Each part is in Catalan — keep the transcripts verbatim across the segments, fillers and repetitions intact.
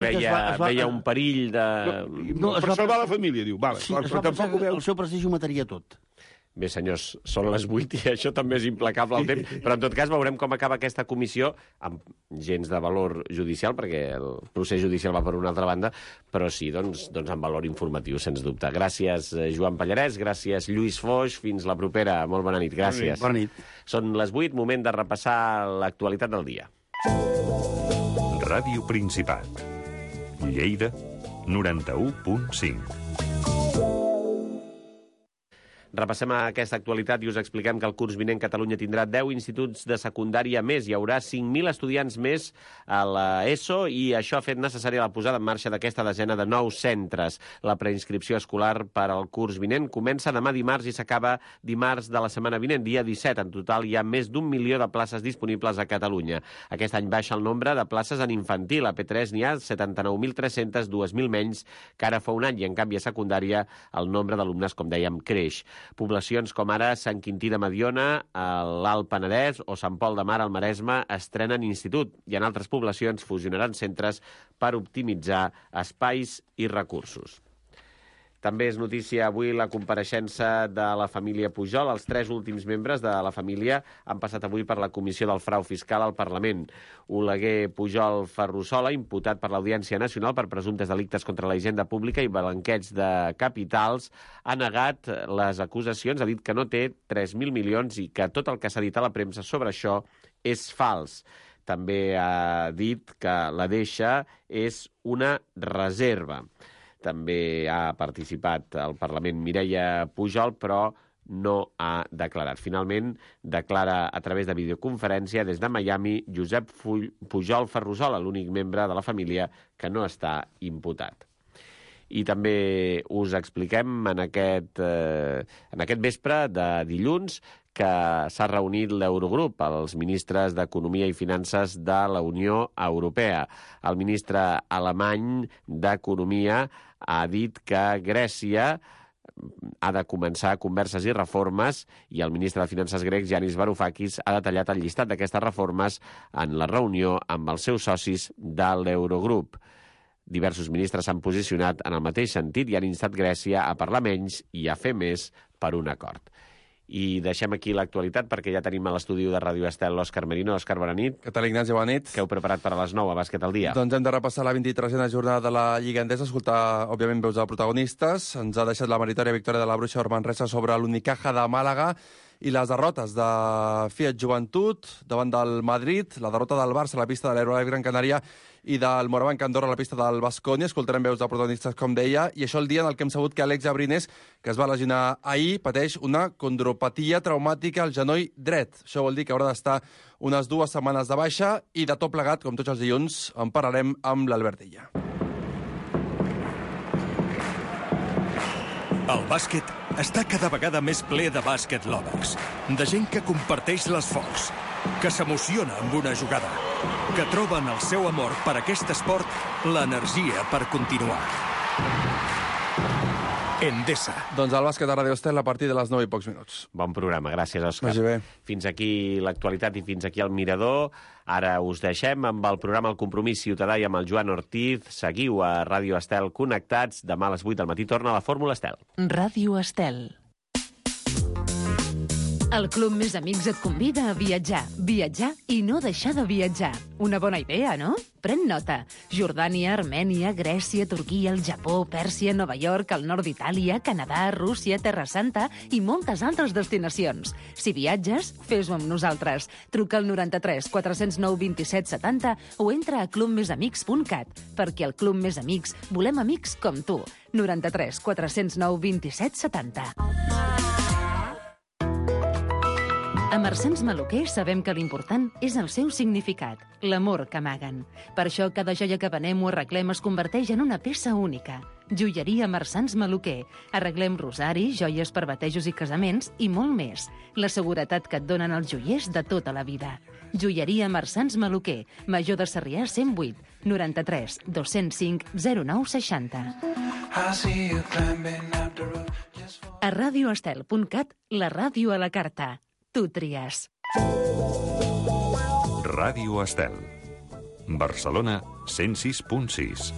veia, va, va, veia un perill de... No, per salvar la família, diu. Vale, sí, però, es però va pensar tampoc ho que veu. el seu prestigi ho mataria tot. Bé, senyors, són les vuit i això també és implacable el temps, però en tot cas veurem com acaba aquesta comissió amb gens de valor judicial, perquè el procés judicial va per una altra banda, però sí, doncs, doncs amb valor informatiu, sens dubte. Gràcies, Joan Pallarès, gràcies, Lluís Foix, fins la propera. Molt bona nit, gràcies. Bona nit. Són les vuit, moment de repassar l'actualitat del dia. Ràdio Principat. Lleida, noranta-u punt cinc. Repassem aquesta actualitat i us expliquem que el curs vinent Catalunya tindrà deu instituts de secundària més. Hi haurà cinc mil estudiants més a l'ESO i això ha fet necessària la posada en marxa d'aquesta desena de nous centres. La preinscripció escolar per al curs vinent comença demà dimarts i s'acaba dimarts de la setmana vinent, dia disset. En total hi ha més d'un milió de places disponibles a Catalunya. Aquest any baixa el nombre de places en infantil. A P tres n'hi ha setanta-nou mil tres-cents, dos mil menys que ara fa un any, i en canvi a secundària el nombre d'alumnes, com dèiem, creix. Poblacions com ara Sant Quintí de Mediona, l'Alt Penedès o Sant Pol de Mar al Maresme estrenen institut i en altres poblacions fusionaran centres per optimitzar espais i recursos. També és notícia avui la compareixença de la família Pujol. Els tres últims membres de la família han passat avui per la Comissió del Frau Fiscal al Parlament. Oleguer Pujol Ferrusola, imputat per l'Audiència Nacional per presumptes delictes contra la hisenda pública i blanqueig de capitals, ha negat les acusacions, ha dit que no té tres mil milions i que tot el que s'ha dit a la premsa sobre això és fals. També ha dit que la deixa és una reserva. També ha participat al Parlament Mireia Pujol, però no ha declarat. Finalment, declara a través de videoconferència des de Miami Josep Pujol Ferrusola, l'únic membre de la família que no està imputat. I també us expliquem en aquest, eh, en aquest vespre de dilluns que s'ha reunit l'Eurogrup, els ministres d'Economia i Finances de la Unió Europea. El ministre alemany d'Economia ha dit que Grècia ha de començar converses i reformes i el ministre de Finances grec, Yanis Varoufakis, ha detallat el llistat d'aquestes reformes en la reunió amb els seus socis de l'Eurogrup. Diversos ministres s'han posicionat en el mateix sentit i han instat Grècia a parlar menys i a fer més per un acord. I deixem aquí l'actualitat perquè ja tenim a l'estudi de Ràdio Estel l'Òscar Merino. Òscar, bona nit. Què tal, Ignasi? Bona nit. Què heu preparat per a les nou a Bàsquet al dia? Doncs hem de repassar la vint-i-tresena jornada de la Lliga Endesa, escoltar, òbviament, veus de protagonistes. Ens ha deixat la meritòria victòria de la Bruixa Manresa sobre l'Unicaja de Màlaga i les derrotes de Fiat Joventut davant del Madrid, la derrota del Barça a la pista de l'Aerolife Gran Canària i del Morabanc Andorra a la pista del Baskonia. Escoltarem veus de protagonistes, com deia, i això el dia en el que hem sabut que Àlex Abrines, que es va lesionar ahir, pateix una condropatia traumàtica al genoll dret. Això vol dir que haurà d'estar unes dues setmanes de baixa i de tot plegat, com tots els dilluns, en parlarem amb l'Albert Illa. El bàsquet està cada vegada més ple de bàsquet lovers, de gent que comparteix l'esforç, que s'emociona amb una jugada, que troba en el seu amor per aquest esport l'energia per continuar. Endesa. Doncs el bàsquet a Ràdio Estel a partir de les nou i pocs minuts. Bon programa, gràcies, Òscar. Vagi bé. Fins aquí l'actualitat i fins aquí el Mirador. Ara us deixem amb el programa El Compromís Ciutadà i amb el Joan Ortiz. Seguiu a Ràdio Estel connectats. Demà a les vuit del matí torna la Fórmula Estel. Ràdio Estel. El Club Més Amics et convida a viatjar, viatjar i no deixar de viatjar. Una bona idea, no? Pren nota. Jordània, Armènia, Grècia, Turquia, el Japó, Pèrsia, Nova York, el nord d'Itàlia, Canadà, Rússia, Terra Santa i moltes altres destinacions. Si viatges, fes-ho amb nosaltres. Truca al noranta-tres quatre zero nou vint set setanta o entra a club més amics punt cat, perquè al Club Més Amics volem amics com tu. noranta-tres quatre zero nou vint set setanta. A Marsans Maluquer sabem que l'important és el seu significat, l'amor que amaguen. Per això cada joia que venem o arreglem es converteix en una peça única. Joieria Marsans Maluquer. Arreglem rosaris, joies per batejos i casaments i molt més. La seguretat que et donen els joiers de tota la vida. Joieria Marsans Maluquer. Major de Sarrià cent vuit, noranta-tres dos cents cinc zero nou seixanta. A radioestel punt cat, la ràdio a la carta. Tu tries. Ràdio Estel. Barcelona cent sis punt sis.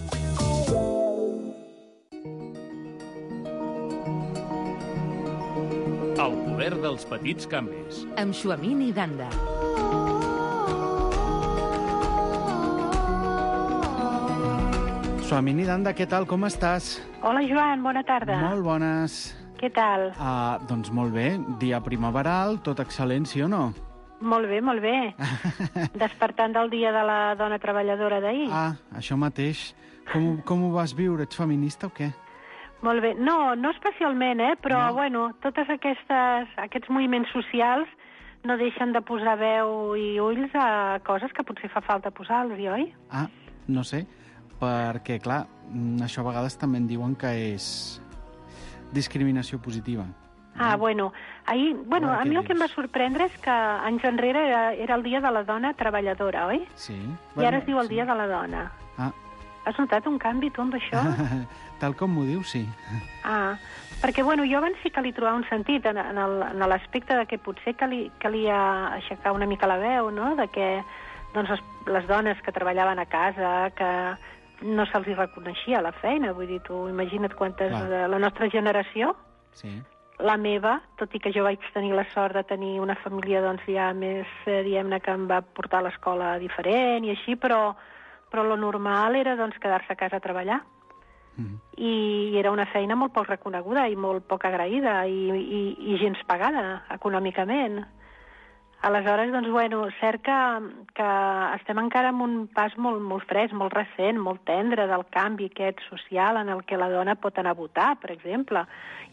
El poder dels petits canvis. Amb Xuamini Danda. Xuamini Danda, què tal? Com estàs? Hola, Joan, bona tarda. Molt bones. Què tal? Uh, doncs molt bé. Dia primaveral, tot excel·lent, sí o no? Molt bé, molt bé. Despertant del dia de la dona treballadora d'ahir. Ah, això mateix. Com, com ho vas viure? Ets feminista o què? Molt bé. No, no especialment, eh? Però, No. bueno, totes aquestes, aquests moviments socials no deixen de posar veu i ulls a coses que potser fa falta posar-los, oi? Ah, no sé. Perquè, clar, mm, això a vegades també en diuen que és discriminació positiva. Ah, bueno, ahir, bueno, A veure a què mi el que em va dius. sorprendre és que anys enrere era, era el dia de la dona treballadora, oi? Sí. I ara es diu el dia de la dona. Ah. Has notat un canvi, tu, amb això? Tal com m'ho dius, sí. Ah, perquè, bueno, jo abans sí que li trobava un sentit en, en el- en l'aspecte de que potser cali, calia aixecar una mica la veu, no?, de que, doncs, les, les dones que treballaven a casa, que no se'ls hi reconeixia la feina, vull dir, tu imagina't quantes Clar. de la nostra generació, Sí. la meva, tot i que jo vaig tenir la sort de tenir una família, doncs, ja més, eh, diguem-ne, que em va portar a l'escola diferent i així, però, però lo normal era, doncs, quedar-se a casa a treballar. Mhm. I era una feina molt poc reconeguda i molt poc agraïda i, i, i gens pagada econòmicament. Aleshores, doncs, bueno, cert que, que estem encara en un pas molt, molt fresc, molt recent, molt tendre del canvi aquest social en el que la dona pot anar a votar, per exemple.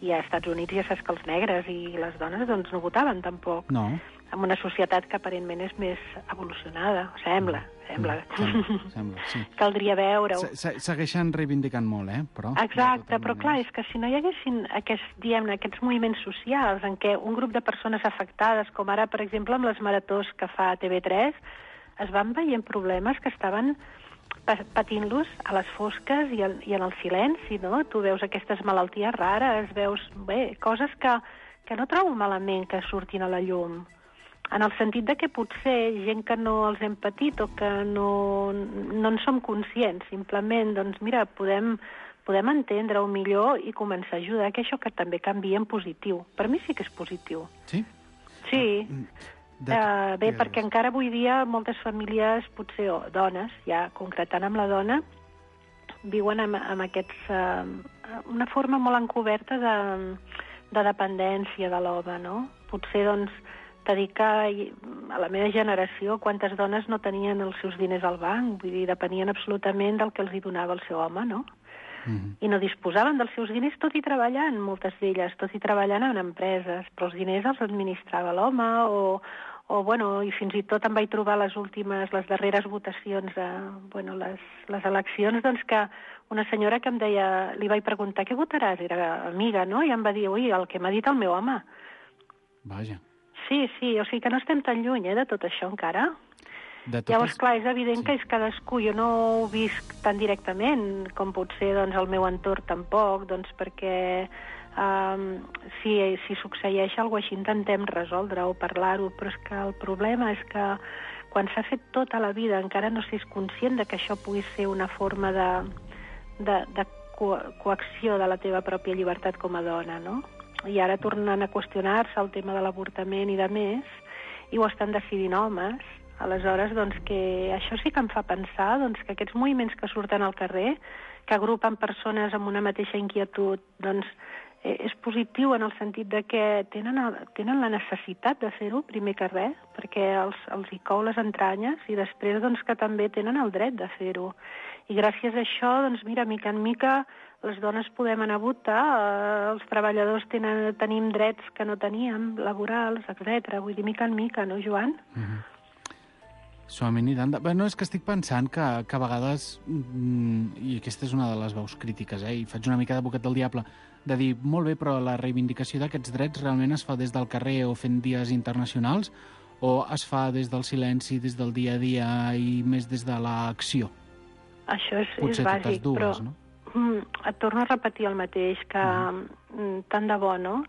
I als Estats Units ja saps que els negres i les dones doncs, no votaven tampoc. No. En una societat que aparentment és més evolucionada, sembla, sembla. Sembla, sembla, sí. Caldria veure-ho. Se- se- Segueixen reivindicant molt, eh? Però, Exacte, de totes però clar, maneres. és que si no hi haguessin aquests, diguem-ne, aquests moviments socials en què un grup de persones afectades, com ara, per exemple, amb les maratons que fa T V tres, es van veient problemes que estaven pa- patint-los a les fosques i, el, i en el silenci, no? Tu veus aquestes malalties rares, veus, bé, coses que, que no trobo malament que surtin a la llum. En el sentit de que potser gent que no els hem patit o que no, no en som conscients, simplement, doncs mira, podem, podem entendre-ho millor i començar a ajudar que això que també canvia en positiu. Per mi sí que és positiu. Sí? Sí. De... Uh, bé, digues. perquè encara avui dia moltes famílies, potser, o dones, ja concretant amb la dona, viuen amb, amb aquests, uh, una forma molt encoberta de, de dependència de l'home, no? Potser, doncs, t'ha dit que a la meva generació quantes dones no tenien els seus diners al banc, vull dir, depenien absolutament del que els hi donava el seu home, no? Mhm. I no disposaven dels seus diners, tot i treballant, moltes d'elles, tot i treballant en empreses, però els diners els administrava l'home o, o, bueno, i fins i tot em vaig trobar les últimes, les darreres votacions, de, bueno, les, les eleccions, doncs que una senyora que em deia, li vaig preguntar, què votaràs? Era amiga, no? I em va dir, ui, el que m'ha dit el meu home. Vaja. Sí, sí, o sigui que no estem tan lluny, eh, de tot això encara. De totes... Llavors, clar, és evident Sí. sí. que és cadascú. Jo no ho visc tan directament com potser doncs, el meu entorn tampoc, doncs, perquè um, si, si succeeix alguna cosa així intentem resoldre-ho, parlar-ho, però és que el problema és que quan s'ha fet tota la vida encara no s'és conscient de que això pugui ser una forma de, de, de co coacció de la teva pròpia llibertat com a dona, no? I ara tornen a qüestionar-se el tema de l'avortament i de més, i ho estan decidint homes. Aleshores, doncs, que això sí que em fa pensar doncs, que aquests moviments que surten al carrer, que agrupen persones amb una mateixa inquietud, doncs, eh, és positiu en el sentit de que tenen, el, tenen la necessitat de fer-ho, primer que res, perquè els, els hi cou les entranyes, i després doncs, que també tenen el dret de fer-ho. I gràcies a això, doncs, mira, mica en mica, les dones podem anar a votar, eh, els treballadors tenen, tenim drets que no teníem, laborals, etcètera. Vull dir, mica en mica, no, Joan? Mhm. Xuamini Danda... Bé, no, és que estic pensant que, que a vegades, mm, i aquesta és una de les veus crítiques, eh, i faig una mica d'advocat del diable, de dir, molt bé, però la reivindicació d'aquests drets realment es fa des del carrer o fent dies internacionals, o es fa des del silenci, des del dia a dia i més des de l'acció? Això és, Potser és bàsic, totes dues, però no? mm, et torno a repetir el mateix, que mm. tant de bo, no?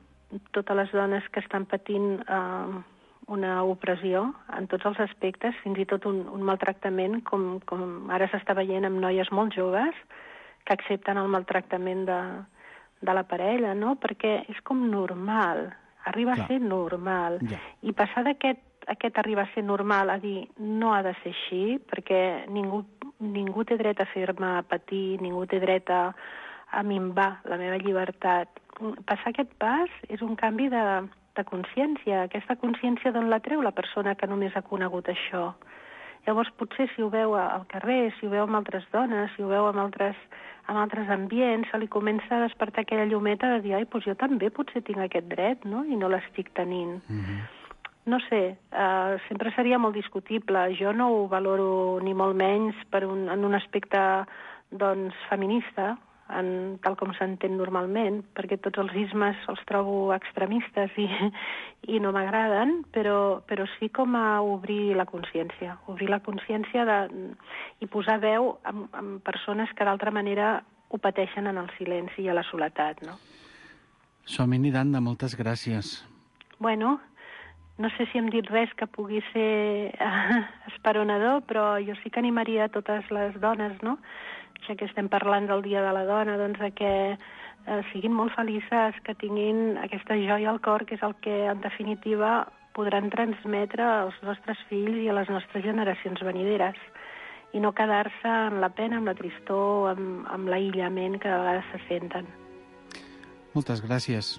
Totes les dones que estan patint eh, una opressió en tots els aspectes, fins i tot un, un maltractament, com, com ara s'està veient amb noies molt joves que accepten el maltractament de, de la parella, no? Perquè és com normal, arriba Clar. a ser normal. Ja. I passar d'aquest aquest arriba a ser normal a dir no ha de ser així, perquè ningú, ningú té dret a fer-me patir, ningú té dret a, a minvar la meva llibertat. Passar aquest pas és un canvi de, de consciència. Aquesta consciència d'on la treu la persona que només ha conegut això? Llavors, potser si ho veu al carrer, si ho veu amb altres dones, si ho veu amb altres, amb altres ambients, se li comença a despertar aquella llumeta de dir ai, doncs jo també potser tinc aquest dret, no? I no l'estic tenint. Mm-hmm. No sé, uh, sempre seria molt discutible. Jo no ho valoro ni molt menys per un, en un aspecte doncs, feminista, en, tal com s'entén normalment, perquè tots els ismes els trobo extremistes i, i no m'agraden, però, però sí com a obrir la consciència, obrir la consciència de, i posar veu en, en persones que d'altra manera ho pateixen en el silenci i a la soledat, no? Somini Danda, moltes gràcies. Bueno, no sé si hem dit res que pugui ser eh, esperonador, però jo sí que animaria a totes les dones, no?, ja que estem parlant del Dia de la Dona, doncs a que eh, siguin molt felices, que tinguin aquesta joia al cor, que és el que, en definitiva, podran transmetre als nostres fills i a les nostres generacions venideres, i no quedar-se en la pena, amb la tristor, amb, amb l'aïllament que de vegades se senten. Moltes gràcies.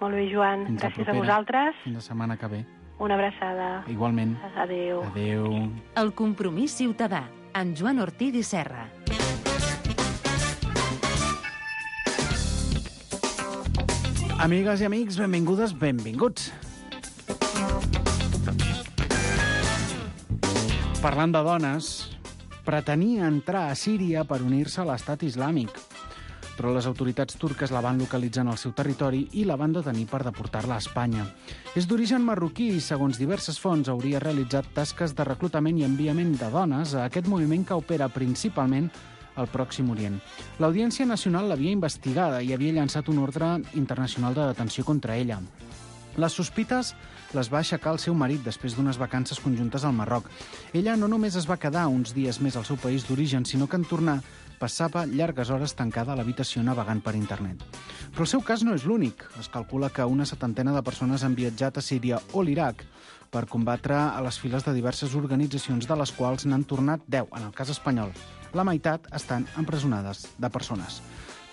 Molt bé, Joan. Fins gràcies a, a vosaltres. Fins la setmana que ve. Una abraçada. Igualment. Adéu. Adéu. El Compromís Ciutadà, amb Joan Ortiz i Serra. Amigues i amics, benvingudes, benvinguts. Parlant de dones, pretenia entrar a Síria per unir-se a l'estat islàmic, però les autoritats turques la van localitzar en el seu territori i la van detenir per deportar-la a Espanya. És d'origen marroquí i, segons diverses fonts, hauria realitzat tasques de reclutament i enviament de dones a aquest moviment que opera principalment al Pròxim Orient. L'Audiència Nacional l'havia investigada i havia llançat un ordre internacional de detenció contra ella. Les sospites les va aixecar el seu marit després d'unes vacances conjuntes al Marroc. Ella no només es va quedar uns dies més al seu país d'origen, sinó que en tornar passava llargues hores tancada a l'habitació navegant per internet. Però el seu cas no és l'únic. Es calcula que una setantena de persones han viatjat a Síria o l'Iraq per combatre a les files de diverses organitzacions, de les quals n'han tornat deu, en el cas espanyol. La meitat estan empresonades de persones.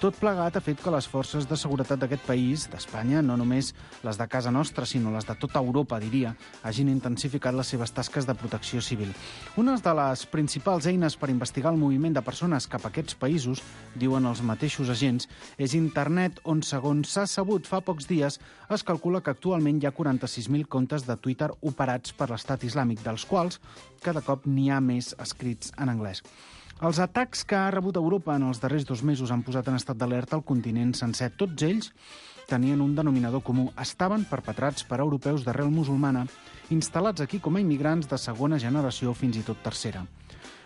Tot plegat ha fet que les forces de seguretat d'aquest país, d'Espanya, no només les de casa nostra, sinó les de tota Europa, diria, hagin intensificat les seves tasques de protecció civil. Una de les principals eines per investigar el moviment de persones cap a aquests països, diuen els mateixos agents, és internet, on, segons s'ha sabut fa pocs dies, es calcula que actualment hi ha quaranta-sis mil comptes de Twitter operats per l'estat islàmic, dels quals cada cop n'hi ha més escrits en anglès. Els atacs que ha rebut Europa en els darrers dos mesos han posat en estat d'alerta el continent sencer. Tots ells tenien un denominador comú. Estaven perpetrats per europeus d'arrel musulmana, instal·lats aquí com a immigrants de segona generació o fins i tot tercera.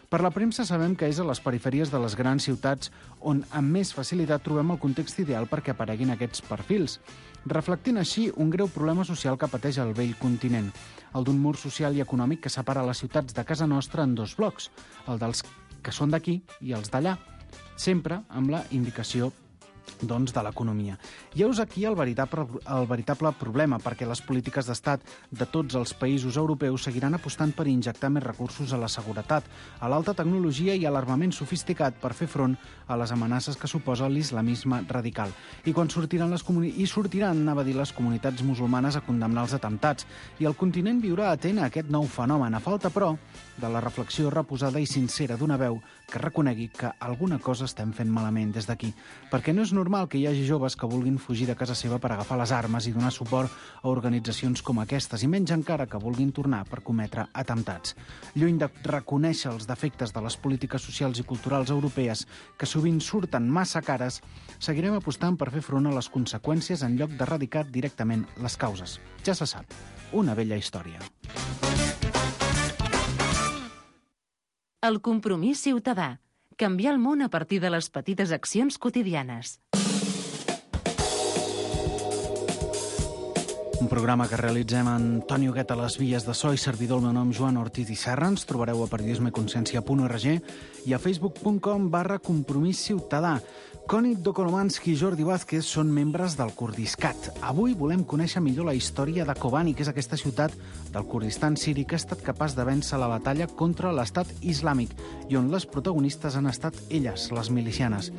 Per la premsa sabem que és a les perifèries de les grans ciutats on amb més facilitat trobem el context ideal perquè apareguin aquests perfils, reflectint així un greu problema social que pateix el vell continent, el d'un mur social i econòmic que separa les ciutats de casa nostra en dos blocs, el dels que són d'aquí i els d'allà, sempre amb la indicació doncs, de l'economia. I heus aquí el veritable, el veritable problema, perquè les polítiques d'estat de tots els països europeus seguiran apostant per injectar més recursos a la seguretat, a l'alta tecnologia i a l'armament sofisticat per fer front a les amenaces que suposa l'islamisme radical. I quan sortiran les comuni- i sortiran, anava a dir, les comunitats musulmanes a condemnar els atemptats, i el continent viurà atent a aquest nou fenomen, a falta, però, de la reflexió reposada i sincera d'una veu que reconegui que alguna cosa estem fent malament des d'aquí, perquè no és normal que hi hagi joves que vulguin fugir de casa seva per agafar les armes i donar suport a organitzacions com aquestes, i menys encara que vulguin tornar per cometre atemptats. Lluny de reconèixer els defectes de les polítiques socials i culturals europees, que sovint surten massa cares, seguirem apostant per fer front a les conseqüències en lloc d'erradicar directament les causes. Ja se sap, una vella història. El Compromís Ciutadà. Canviar el món a partir de les petites accions quotidianes. Un programa que realitzem Antoni Huguet a les vies de so i servidor, el meu nom Joan Ortiz i Serra. Ens trobareu a periodismeconsciència punt org i a facebook punt com barra compromís ciutadà. Cònic Dokolomansky i Jordi Vázquez són membres del Kurdiscat. Avui volem conèixer millor la història de Kobani, que és aquesta ciutat del Kurdistan siri que ha estat capaç de vèncer la batalla contra l'estat islàmic i on les protagonistes han estat elles, les milicianes.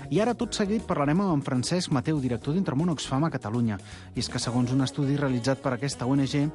I ara, tot seguit, parlarem amb en Francesc Mateu, director d'Intermón Oxfam a Catalunya. I és que, segons un estudi realitzat per aquesta O N G,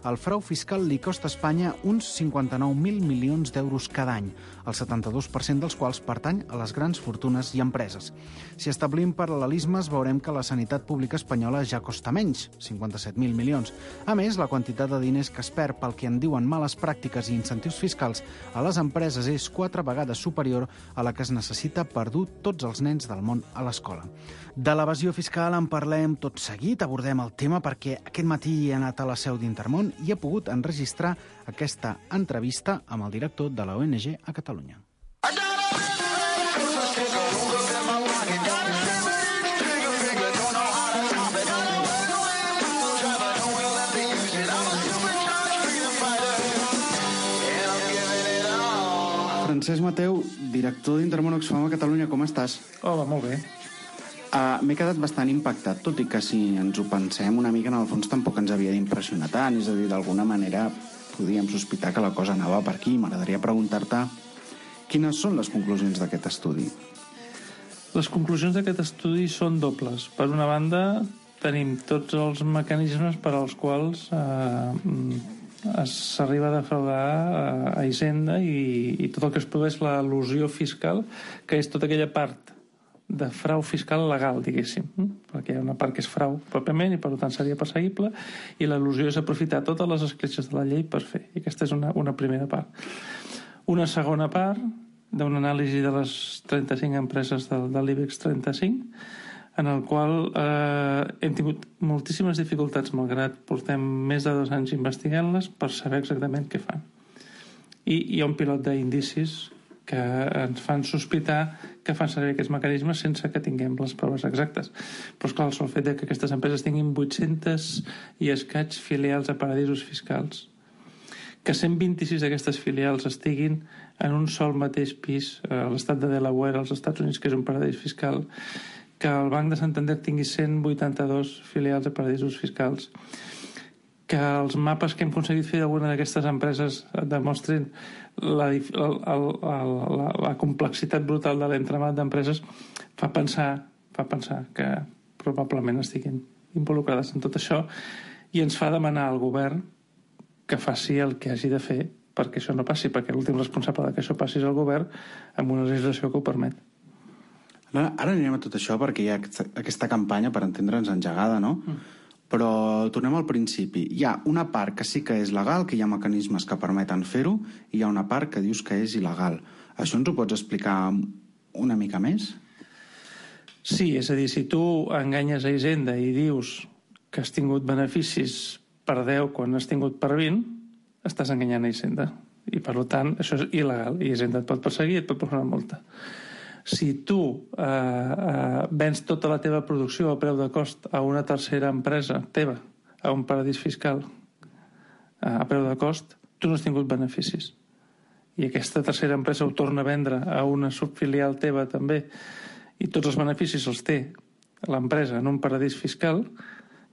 el frau fiscal li costa a Espanya uns cinquanta-nou mil milions d'euros cada any, el setanta-dos per cent dels quals pertany a les grans fortunes i empreses. Si establim paral·lelismes, veurem que la sanitat pública espanyola ja costa menys, cinquanta-set mil milions. A més, la quantitat de diners que es perd pel que en diuen males pràctiques i incentius fiscals a les empreses és quatre vegades superior a la que es necessita per dur tots els nens del món a l'escola. De l'evasió fiscal en parlem tot seguit, abordem el tema perquè aquest matí he anat a la seu d'Intermón i he pogut enregistrar aquesta entrevista amb el director de la O N G a Catalunya. Francesc Mateu, director d'Intermón Oxfam a Catalunya, com estàs? Hola, molt bé. Uh, M'he quedat bastant impactat, tot i que si ens ho pensem una mica, en el fons tampoc ens havia d'impressionar tant, és a dir, d'alguna manera podíem sospitar que la cosa anava per aquí. M'agradaria preguntar-te quines són les conclusions d'aquest estudi. Les conclusions d'aquest estudi són dobles. Per una banda, tenim tots els mecanismes per als quals eh, s'arriba a defraudar a Hisenda i, i tot el que es produeix l'elusió fiscal, que és tota aquella part de frau fiscal legal, diguéssim, perquè hi ha una part que és frau pròpiament i per tant seria perseguible, i l'elusió és aprofitar totes les escletxes de la llei per fer, i aquesta és una, una primera part. Una segona part d'una anàlisi de les trenta-cinc empreses del, de l'IBEX trenta-cinc, en el qual eh, hem tingut moltíssimes dificultats, malgrat portem més de dos anys investigant-les, per saber exactament què fan. I hi ha un pilot d'indicis que ens fan sospitar que fan servir aquests mecanismes sense que tinguem les proves exactes. Però, esclar, el sol fet que aquestes empreses tinguin vuit-centes i escaig filials a paradisos fiscals, que cent vint-i-sis d'aquestes filials estiguin en un sol mateix pis a l'estat de Delaware, als Estats Units, que és un paradís fiscal, que el Banc de Santander tingui cent vuitanta-dos filials a paradisos fiscals, que els mapes que hem aconseguit fer d'alguna d'aquestes empreses demostrin la, la, la, la, la complexitat brutal de l'entramat d'empreses, fa pensar, fa pensar que probablement estiguin involucrades en tot això, i ens fa demanar al govern que faci el que hagi de fer perquè això no passi, perquè l'últim responsable que això passi és el govern amb una legislació que ho permet. Ara, ara anirem a tot això perquè hi ha aquesta campanya, per entendre'ns, engegada, no? Mm. Però tornem al principi. Hi ha una part que sí que és legal, que hi ha mecanismes que permeten fer-ho, i hi ha una part que dius que és il·legal. Això ens ho pots explicar una mica més? Sí, és a dir, si tu enganyes a Hisenda i dius que has tingut beneficis per deu quan has tingut per vint, estàs enganyant a Hisenda. I, per tant, això és il·legal. I Hisenda et pot perseguir i et pot posar una multa. Si tu eh, eh, vens tota la teva producció a preu de cost a una tercera empresa teva, a un paradís fiscal eh, a preu de cost, tu no has tingut beneficis. I aquesta tercera empresa ho torna a vendre a una subfilial teva també, i tots els beneficis els té l'empresa en un paradís fiscal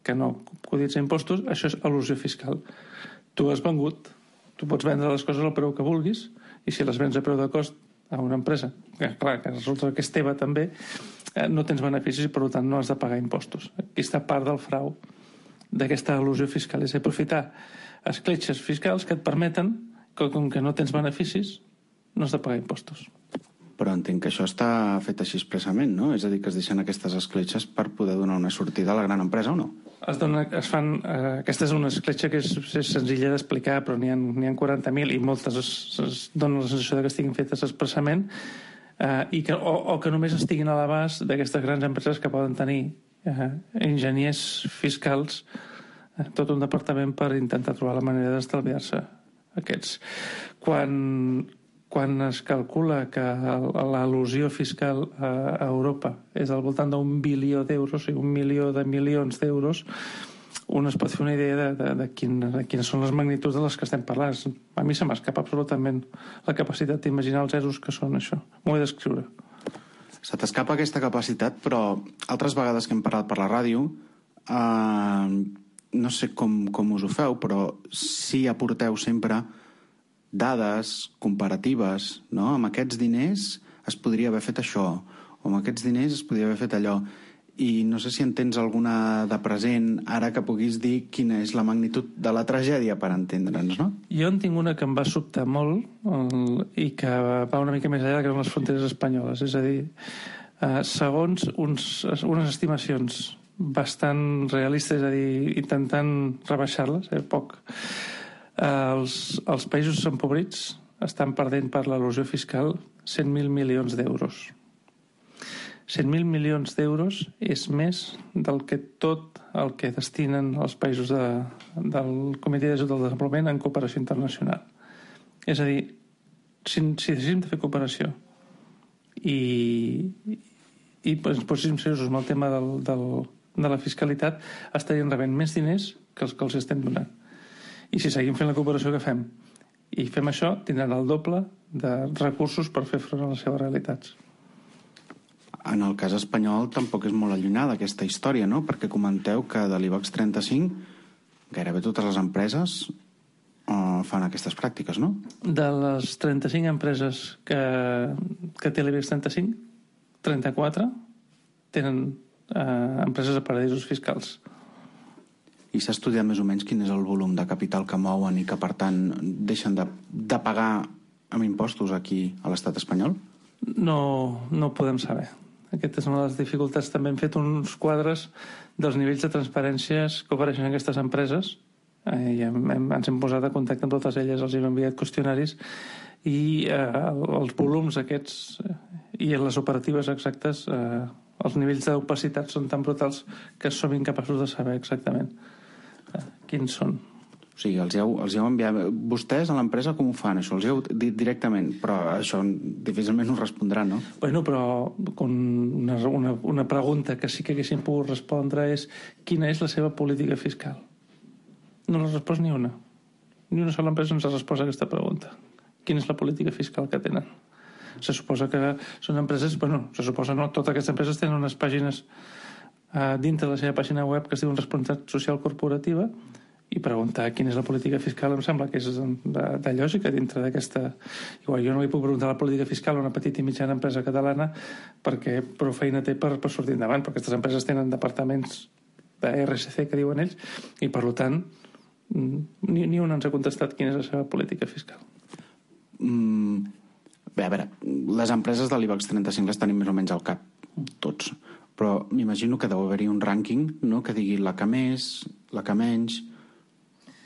que no cotitza impostos, això és elusió fiscal. Tu has vengut, tu pots vendre les coses al preu que vulguis, i si les vens a preu de cost a una empresa, que clar, que resulta que és teva també, eh, no tens beneficis i per tant no has de pagar impostos. Aquesta part del frau d'aquesta elusió fiscal és aprofitar escletxes fiscals que et permeten que, com que no tens beneficis, no has de pagar impostos. Però entenc que això està fet així expressament, no? És a dir, que es deixen aquestes escletxes per poder donar una sortida a la gran empresa, o no? Es dona, es fan, eh, aquesta és una escletxa que és, és senzilla d'explicar, però n'hi ha, n'hi ha quaranta mil i moltes es, es donen la sensació de que estiguin fetes expressament eh, i que, o, o que només estiguin a l'abast d'aquestes grans empreses que poden tenir eh, enginyers fiscals, eh, tot un departament per intentar trobar la manera d'estalviar-se aquests. Quan... Quan es calcula que l'elusió fiscal a Europa és al voltant d'un bilió d'euros, o sigui, un milió de milions d'euros, un es pot fer una idea de, de, de, quin, de quines són les magnituds de les que estem parlant. A mi se m'escapa absolutament la capacitat d'imaginar els zeros que són això. M'ho he d'escriure. Se t'escapa aquesta capacitat, però altres vegades que hem parlat per la ràdio, eh, no sé com, com us ho feu, però sí aporteu sempre dades comparatives, no? Amb aquests diners es podria haver fet això, o amb aquests diners es podria haver fet allò. I no sé si en tens alguna de present ara que puguis dir quina és la magnitud de la tragèdia per entendre'ns, no? Jo en tinc una que em va sobtar molt el, i que va una mica més enllà que són les fronteres espanyoles. És a dir, eh, segons uns, unes estimacions bastant realistes, és a dir, intentant rebaixar-les, eh, poc, eh, els, els països empobrits estan perdent per l'elusió fiscal cent mil milions d'euros. cent mil milions d'euros és més del que tot el que destinen els països de, del Comitè d'Ajut al Desenvolupament en cooperació internacional. És a dir, si, si deixéssim de fer cooperació i, i ens poséssim seriosos amb el tema del, del, de la fiscalitat, estarien rebent més diners que els que els estem donant. I si seguim fent la cooperació que fem i fem això, tindran el doble de recursos per fer front a les seves realitats. En el cas espanyol tampoc és molt allunyada aquesta història, no? Perquè comenteu que de l'IBEX trenta-cinc gairebé totes les empreses uh, fan aquestes pràctiques, no? De les trenta-cinc empreses que, que té l'IBEX trenta-cinc, trenta-quatre tenen uh, empreses a paradisos fiscals. I s'ha estudiat més o menys quin és el volum de capital que mouen i que, per tant, deixen de, de pagar amb impostos aquí a l'estat espanyol? No, no ho podem saber. Aquesta és una de les dificultats. També hem fet uns quadres dels nivells de transparències que ofereixen aquestes empreses eh, i hem, hem, ens hem posat a contacte amb totes elles, els hem enviat qüestionaris i eh, els volums aquests eh, i les operatives exactes, eh, els nivells d'opacitat són tan brutals que som incapaços de saber exactament eh, quins són. O sigui, els heu, els heu enviat... Vostès a l'empresa com ho fan, això? Els heu dit directament, però això difícilment us respondran, no? Bueno, però una, una, una pregunta que sí que haguéssim pogut respondre és quina és la seva política fiscal? No l'ha respost ni una. Ni una sola empresa ens ha respost a aquesta pregunta. Quina és la política fiscal que tenen? Se suposa que són empreses... Bueno, se suposa no, totes aquestes empreses tenen unes pàgines eh, dintre de la seva pàgina web que es diuen responsabilitat social corporativa, i preguntar quina és la política fiscal em sembla que és de, de lògica dintre d'aquesta... Igual, jo no li puc preguntar la política fiscal a una petita i mitjana empresa catalana perquè prou feina té per, per sortir endavant, perquè aquestes empreses tenen departaments de R S C que diuen ells i per tant ni, ni un ens ha contestat quina és la seva política fiscal. Mm, bé, a veure, les empreses de l'IBEX trenta-cinc les tenim més o menys al cap, tots, però m'imagino que deu haver-hi un rànquing, no?, que digui la que més, la que menys...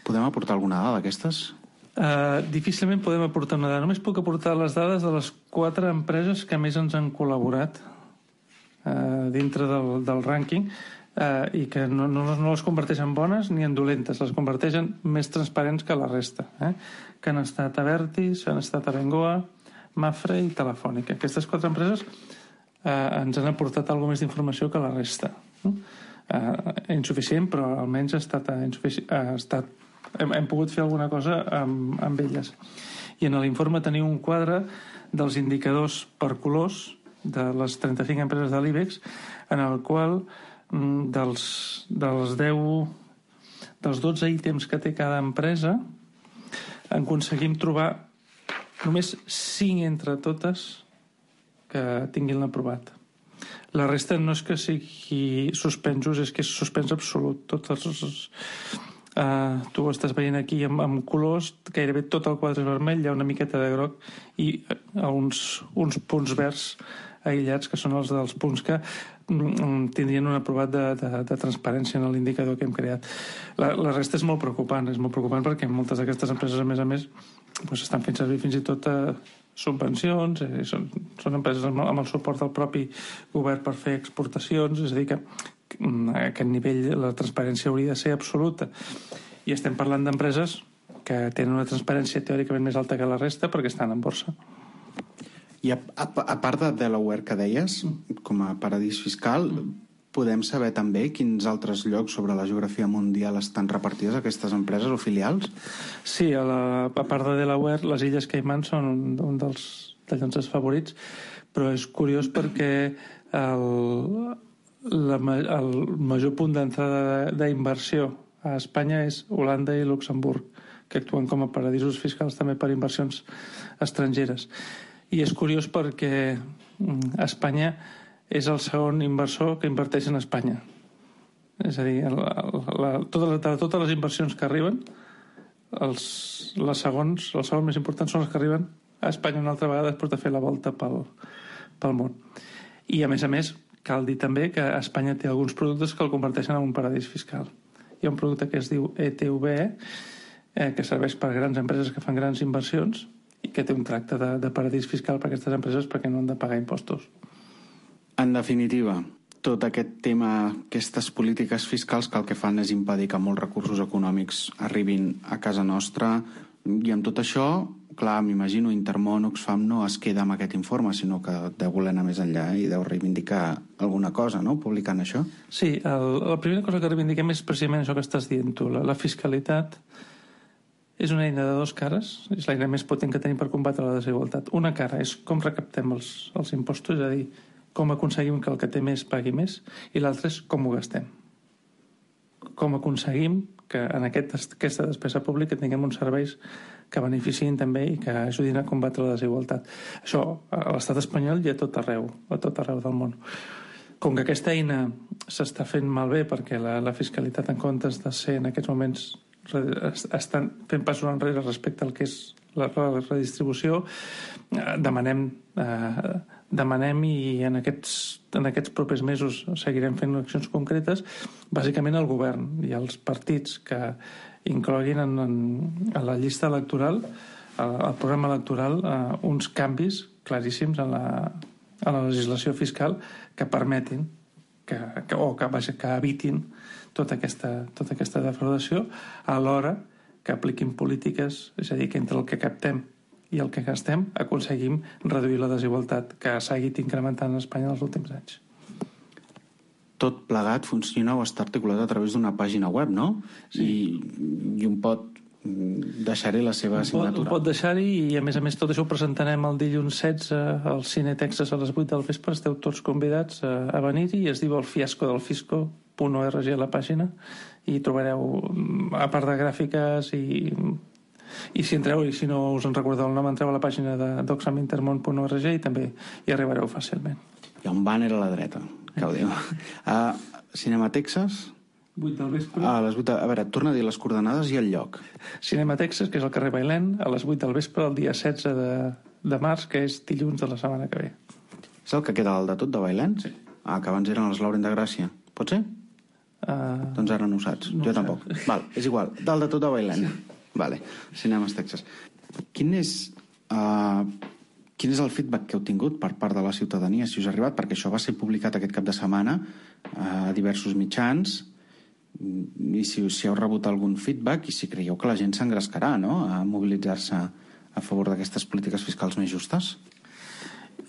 Podem aportar alguna dada d'aquestes? Uh, difícilment podem aportar una dada. Només puc aportar les dades de les quatre empreses que més ens han col·laborat uh, dintre del, del rànquing uh, i que no, no, no les converteixen bones ni en dolentes, les converteixen més transparents que la resta, eh? Que han estat Abertis, han estat Abengoa, Mafre i Telefònica. Aquestes quatre empreses uh, ens han aportat alguna més d'informació que la resta. No? Uh, insuficient, però almenys ha estat, uh, insufici- ha estat Hem, hem pogut fer alguna cosa amb, amb elles. I en l'informe teniu un quadre dels indicadors per colors de les trenta-cinc empreses de l'IBEX, en el qual dels, dels deu dels dotze ítems que té cada empresa en aconseguim trobar només cinc entre totes que tinguin l'aprovat. La resta no és que sigui suspensos, és que és suspens absolut. Tots els... Uh, tu ho estàs veient aquí amb, amb colors, gairebé tot el quadre és vermell, hi ha una miqueta de groc i uh, uns, uns punts verds aïllats que són els dels punts que mm, tindrien un aprovat de, de, de transparència en l'indicador que hem creat. La, la resta és molt preocupant, és molt preocupant perquè moltes d'aquestes empreses, a més a més, doncs estan fent servir fins i tot uh, subvencions, eh, són, són empreses amb, amb el suport del propi govern per fer exportacions, és a dir que a aquest nivell la transparència hauria de ser absoluta. I estem parlant d'empreses que tenen una transparència teòricament més alta que la resta perquè estan en borsa. I a, a, a part de Delaware que deies, com a paradís fiscal, podem saber també quins altres llocs sobre la geografia mundial estan repartides aquestes empreses o filials? Sí, a, la, a part de Delaware, les Illes Caimán són un, un dels, dels nostres favorits, però és curiós perquè el, la, el major punt d'entrada d'inversió a Espanya és Holanda i Luxemburg, que actuen com a paradisos fiscals també per inversions estrangeres. I és curiós perquè Espanya és el segon inversor que inverteix en Espanya. És a dir, la, la, tota, de totes les inversions que arriben, els, les segons, els segons més importants són els que arriben a Espanya una altra vegada després de fer la volta pel, pel món. I, a més a més, cal dir també que Espanya té alguns productes que el converteixen en un paradís fiscal. Hi ha un producte que es diu E T V E, eh, que serveix per grans empreses que fan grans inversions i que té un tracte de, de paradís fiscal per a aquestes empreses perquè no han de pagar impostos. En definitiva, tot aquest tema, aquestes polítiques fiscals que el que fan és impedir que molts recursos econòmics arribin a casa nostra, i amb tot això, clar, m'imagino, Intermón, Oxfam no es queda amb aquest informe, sinó que deu voler anar més enllà i deu reivindicar alguna cosa, no?, publicant això. Sí, el, la primera cosa que reivindiquem és precisament això que estàs dient tu. La, la fiscalitat és una eina de dos cares, és l'eina més potent que tenim per combatre la desigualtat. Una cara és com recaptem els, els impostos, és a dir, com aconseguim que el que té més pagui més, i l'altre és com ho gastem. Com aconseguim que en aquest, aquesta despesa pública tinguem uns serveis que beneficien també i que ajudin a combatre la desigualtat. Això a l'estat espanyol i a tot arreu, a tot arreu del món. Com que aquesta eina s'està fent malbé perquè la, la fiscalitat, en comptes de ser en aquests moments, estan fent passos enrere respecte al que és la, la redistribució, demanem eh, demanem i en aquests, en aquests propers mesos seguirem fent accions concretes, bàsicament al govern i als partits que incloguin en, en, en la llista electoral, al programa electoral, eh, uns canvis claríssims en la, en la legislació fiscal que permetin que, que, o que, vaja, que evitin tota aquesta, tota aquesta defraudació, alhora que apliquin polítiques, és a dir, que entre el que captem i el que gastem aconseguim reduir la desigualtat que s'ha seguit incrementant a Espanya els últims anys. Tot plegat funciona o està articulat a través d'una pàgina web, no? Sí. I, i un pot deixar-hi la seva assignatura. Pot, pot deixar-hi i, a més a més, tot això ho presentarem el dilluns setze al Cine Texas a les vuit del vespre. Esteu tots convidats a, a venir-hi. Es diu El fiasco del fisco punt org a la pàgina i trobareu, a part de gràfiques i... I si entreu, i si no us en recordeu el nom, entreu a la pàgina d'oxfam intermón punt org i també hi arribareu fàcilment. Hi ha un banner a la dreta, que ho diu. A Cinema Texas... vuit del vespre. A les vuit, a veure, torna a dir les coordenades i el lloc. Cinema Texas, que és al carrer Bailén, a les vuit del vespre, el dia setze de, de març, que és dilluns de la setmana que ve. És el que queda al de tot de Bailén? Sí. Ah, que abans eren els Lauren de Gràcia. Pot ser? Uh, doncs ara no ho saps. No jo ho tampoc. Saps. Val, és igual. Dalt de tot de Bailén. Sí. Vale, Cinemes Texas. Quin és, uh, quin és el feedback que heu tingut per part de la ciutadania, si us ha arribat? Perquè això va ser publicat aquest cap de setmana a diversos mitjans, i si, si heu rebut algun feedback i si creieu que la gent s'engrescarà, no?, a mobilitzar-se a favor d'aquestes polítiques fiscals més justes.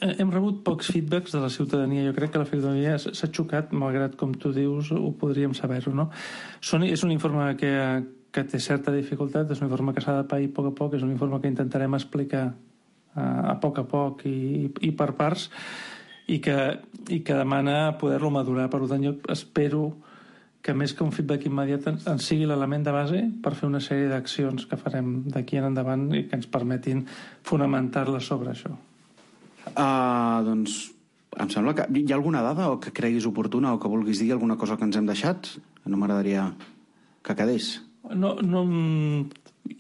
Hem rebut pocs feedbacks de la ciutadania. Jo crec que la ciutadania s'ha xocat, malgrat, com tu dius, ho podríem saber-ho, no? Són, és un informe que, que té certa dificultat, és un informe que s'ha de pair a poc a poc, és un informe que intentarem explicar a, a poc a poc i, i per parts, i que, i que demana poder-lo madurar. Per tant, jo espero que més que un feedback immediat en, en sigui l'element de base per fer una sèrie d'accions que farem d'aquí en endavant i que ens permetin fonamentar-les sobre això. Uh, doncs em sembla que hi ha alguna dada o que creguis oportuna o que vulguis dir alguna cosa que ens hem deixat? No m'agradaria que quedés. No, no,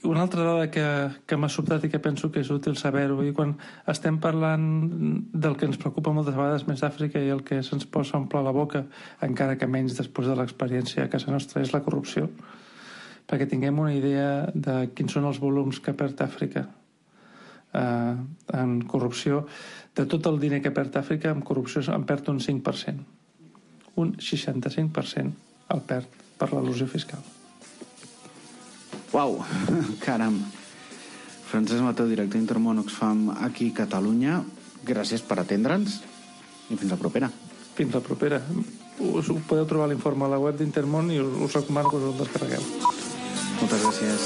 una altra dada que, que m'ha sobtat i que penso que és útil saber-ho, i quan estem parlant del que ens preocupa moltes vegades més d'Àfrica i el que se'ns posa a omplir la boca, encara que menys després de l'experiència a casa nostra, és la corrupció, perquè tinguem una idea de quins són els volums que perd Àfrica eh, en corrupció. De tot el diner que perd Àfrica, en corrupció en perd un cinc per cent. Un seixanta-cinc per cent el perd per l'elusió fiscal. Uau, caram. Francesc Mateu, director Intermón Oxfam aquí a Catalunya, gràcies per atendre'ns i fins la propera. fins la propera. Us podeu trobar l'informe a la web d'Intermón i us, us recomano que us el descarregueu. Moltes gràcies.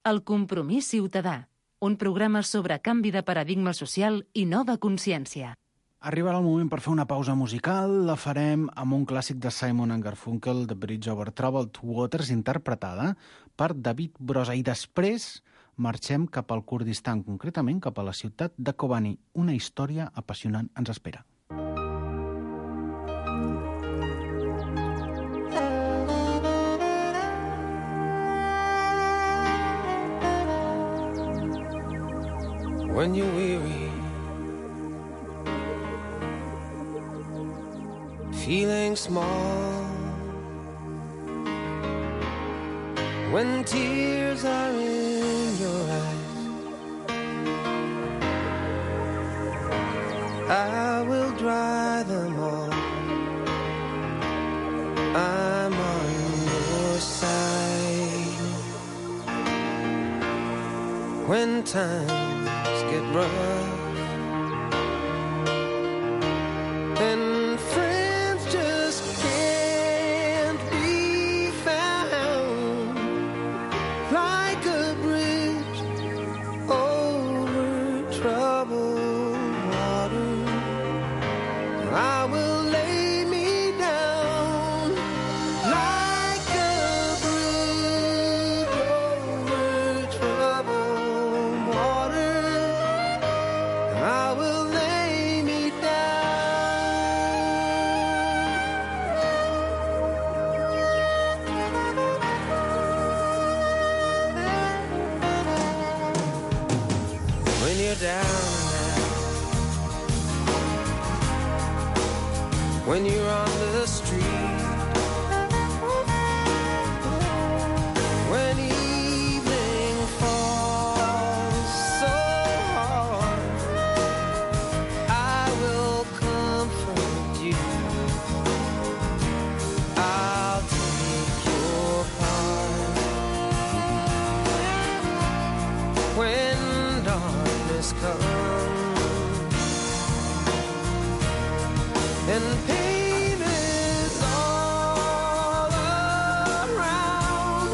El compromís ciutadà, un programa sobre canvi de paradigma social i nova consciència. Arribarà el moment per fer una pausa musical. La farem amb un clàssic de Simon and Garfunkel, The Bridge Over Troubled Waters, interpretada per David Brosa. I després marxem cap al Kurdistan, concretament cap a la ciutat de Kobani. Una història apassionant ens espera. When you're weary, feeling small, when tears are in your eyes, I will dry them all. I'm on your side. When times get rough and friends just can't be found, like a bridge over troubled water, I will lay me down like a bridge over troubled water. I will lay me down. When you're down and out, when you're on the street, when evening falls so hard, I will comfort you. I'll take your part. When darkness comes and pain is all around,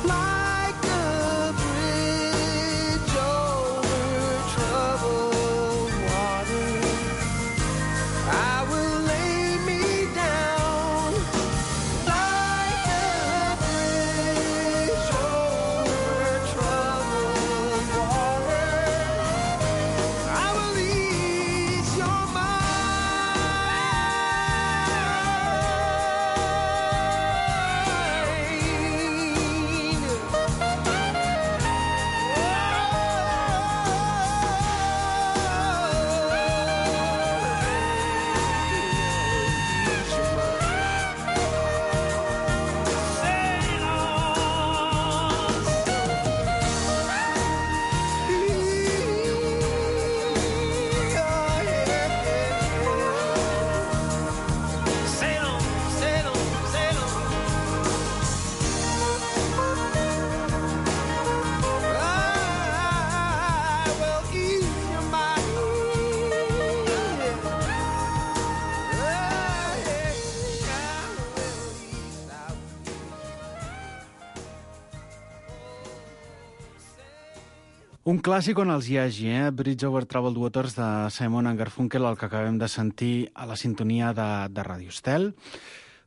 like a bridge over troubled water, I will lay me down like a bridge over troubled water. I will ease your mind. Sail on, sail on, sail on. I will ease your mind. Un clàssic on els hi hagi, eh? Bridge Over Troubled Waters de Simon and Garfunkel, el que acabem de sentir a la sintonia de, de Radio Estel.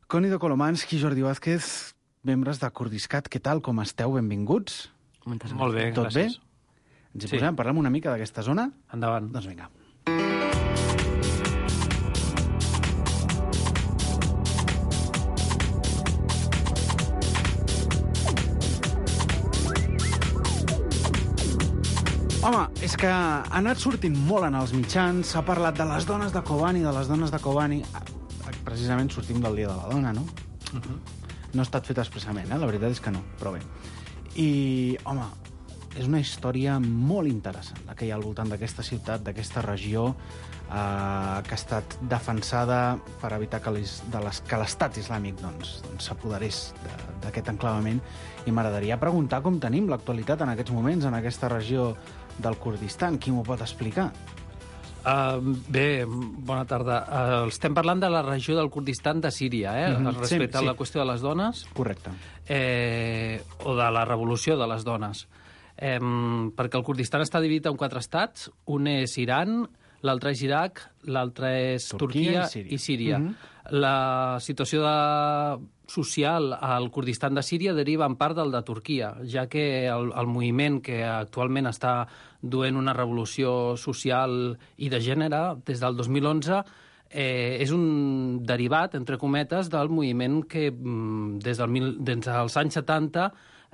Cónido Kolomansky, Jordi Vázquez, membres de Kurdiscat, què tal, com esteu? Benvinguts. Molt bé, Tot gràcies. bé? Ens hi sí. posem, parlem una mica d'aquesta zona? Endavant. Doncs vinga. Home, és que ha anat sortint molt en els mitjans, s'ha parlat de les dones de Kobani, de les dones de Kobani. Precisament sortim del Dia de la Dona, no? Uh-huh. No ha estat fet expressament, eh? La veritat és que no, però bé. I, home, és una història molt interessant, la que hi ha al voltant d'aquesta ciutat, d'aquesta regió, eh, que ha estat defensada per evitar que l'estat islàmic doncs, doncs, s'apoderés d'aquest enclavament. I m'agradaria preguntar com tenim l'actualitat en aquests moments en aquesta regió del Kurdistan. Qui m'ho pot explicar? Uh, bé, bona tarda. Uh, estem parlant de la regió del Kurdistan de Síria, eh? Mm-hmm. Respecte sí, sí. a la qüestió de les dones. Correcte. Eh, o de la revolució de les dones. Eh, perquè el Kurdistan està dividit en quatre estats. Un és Iran, l'altre és Iraq, l'altre és Turquia, Turquia i Síria. I Síria. Mm-hmm. La situació de... social al Kurdistan de Síria deriva en part del de Turquia, ja que el, el moviment que actualment està duent una revolució social i de gènere des del dos mil onze eh, és un derivat, entre cometes, del moviment que des, del mil, des dels anys setanta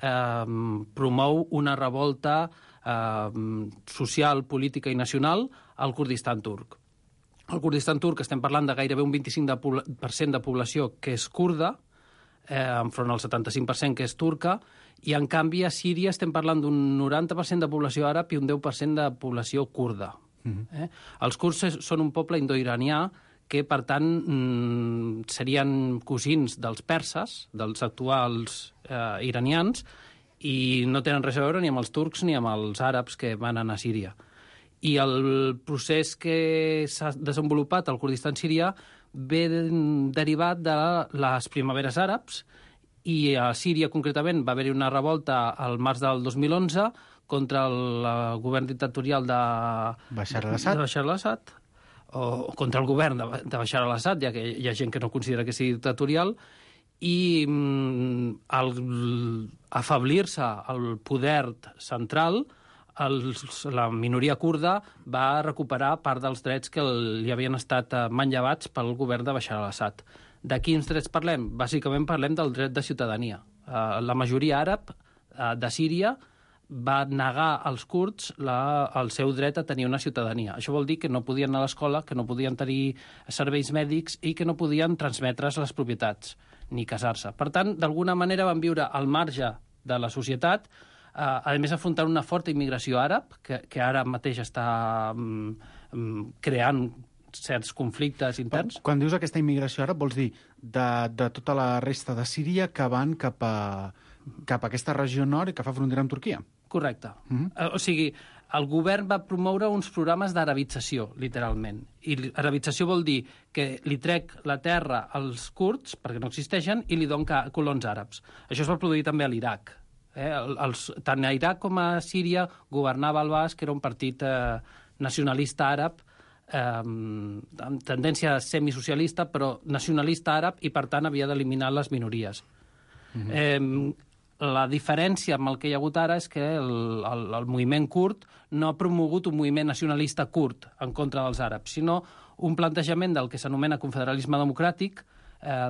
eh, promou una revolta eh, social, política i nacional al Kurdistan turc. Al Kurdistan turc estem parlant de gairebé un vint-i-cinc per cent de població que és kurda, eh, enfront al setanta-cinc per cent que és turca, i en canvi a Síria estem parlant d'un noranta per cent de població àrab i un deu per cent de població kurda. Mm-hmm. eh? Els kurds són un poble indoiranià que, per tant, mm, serien cosins dels perses, dels actuals eh, iranians, i no tenen res a veure ni amb els turcs ni amb els àrabs que van anar a Síria. I el procés que s'ha desenvolupat al Kurdistan sirià ve derivat de les primaveres àrabs, i a Síria, concretament, va haver-hi una revolta al març del dos mil onze contra el govern dictatorial de Bashar al-Assad, de Bashar al-Assad o contra el govern de, de Bashar al-Assad, ja que hi ha gent que no considera que sigui dictatorial, i mm, al afablir-se el poder central, els, la minoria kurda va recuperar part dels drets que li havien estat manllevats pel govern de Bashar al-Assad. De quins drets parlem? Bàsicament parlem del dret de ciutadania. Uh, la majoria àrab uh, de Síria va negar als kurds la, el seu dret a tenir una ciutadania. Això vol dir que no podien anar a l'escola, que no podien tenir serveis mèdics i que no podien transmetre's les propietats ni casar-se. Per tant, d'alguna manera van viure al marge de la societat, eh, a més afrontant una forta immigració àrab, que, que ara mateix està mm, creant certs conflictes interns. Quan dius aquesta immigració àrab, vols dir de, de tota la resta de Síria que van cap a, cap a aquesta regió nord i que fa frontera amb Turquia? Correcte. Mm-hmm. O sigui, el govern va promoure uns programes d'arabització, literalment. I arabització vol dir que li trec la terra als kurds, perquè no existeixen, i li donen colons àrabs. Això es va produir també a l'Iraq. Eh? Els, tant a Iraq com a Síria governava al-Baas, que era un partit eh, nacionalista àrab, eh, amb tendència semisocialista, però nacionalista àrab, i per tant havia d'eliminar les minories. Mm-hmm. Eh, La diferència amb el que hi ha hagut ara és que el, el, el moviment kurd no ha promogut un moviment nacionalista kurd en contra dels àrabs, sinó un plantejament del que s'anomena confederalisme democràtic, eh,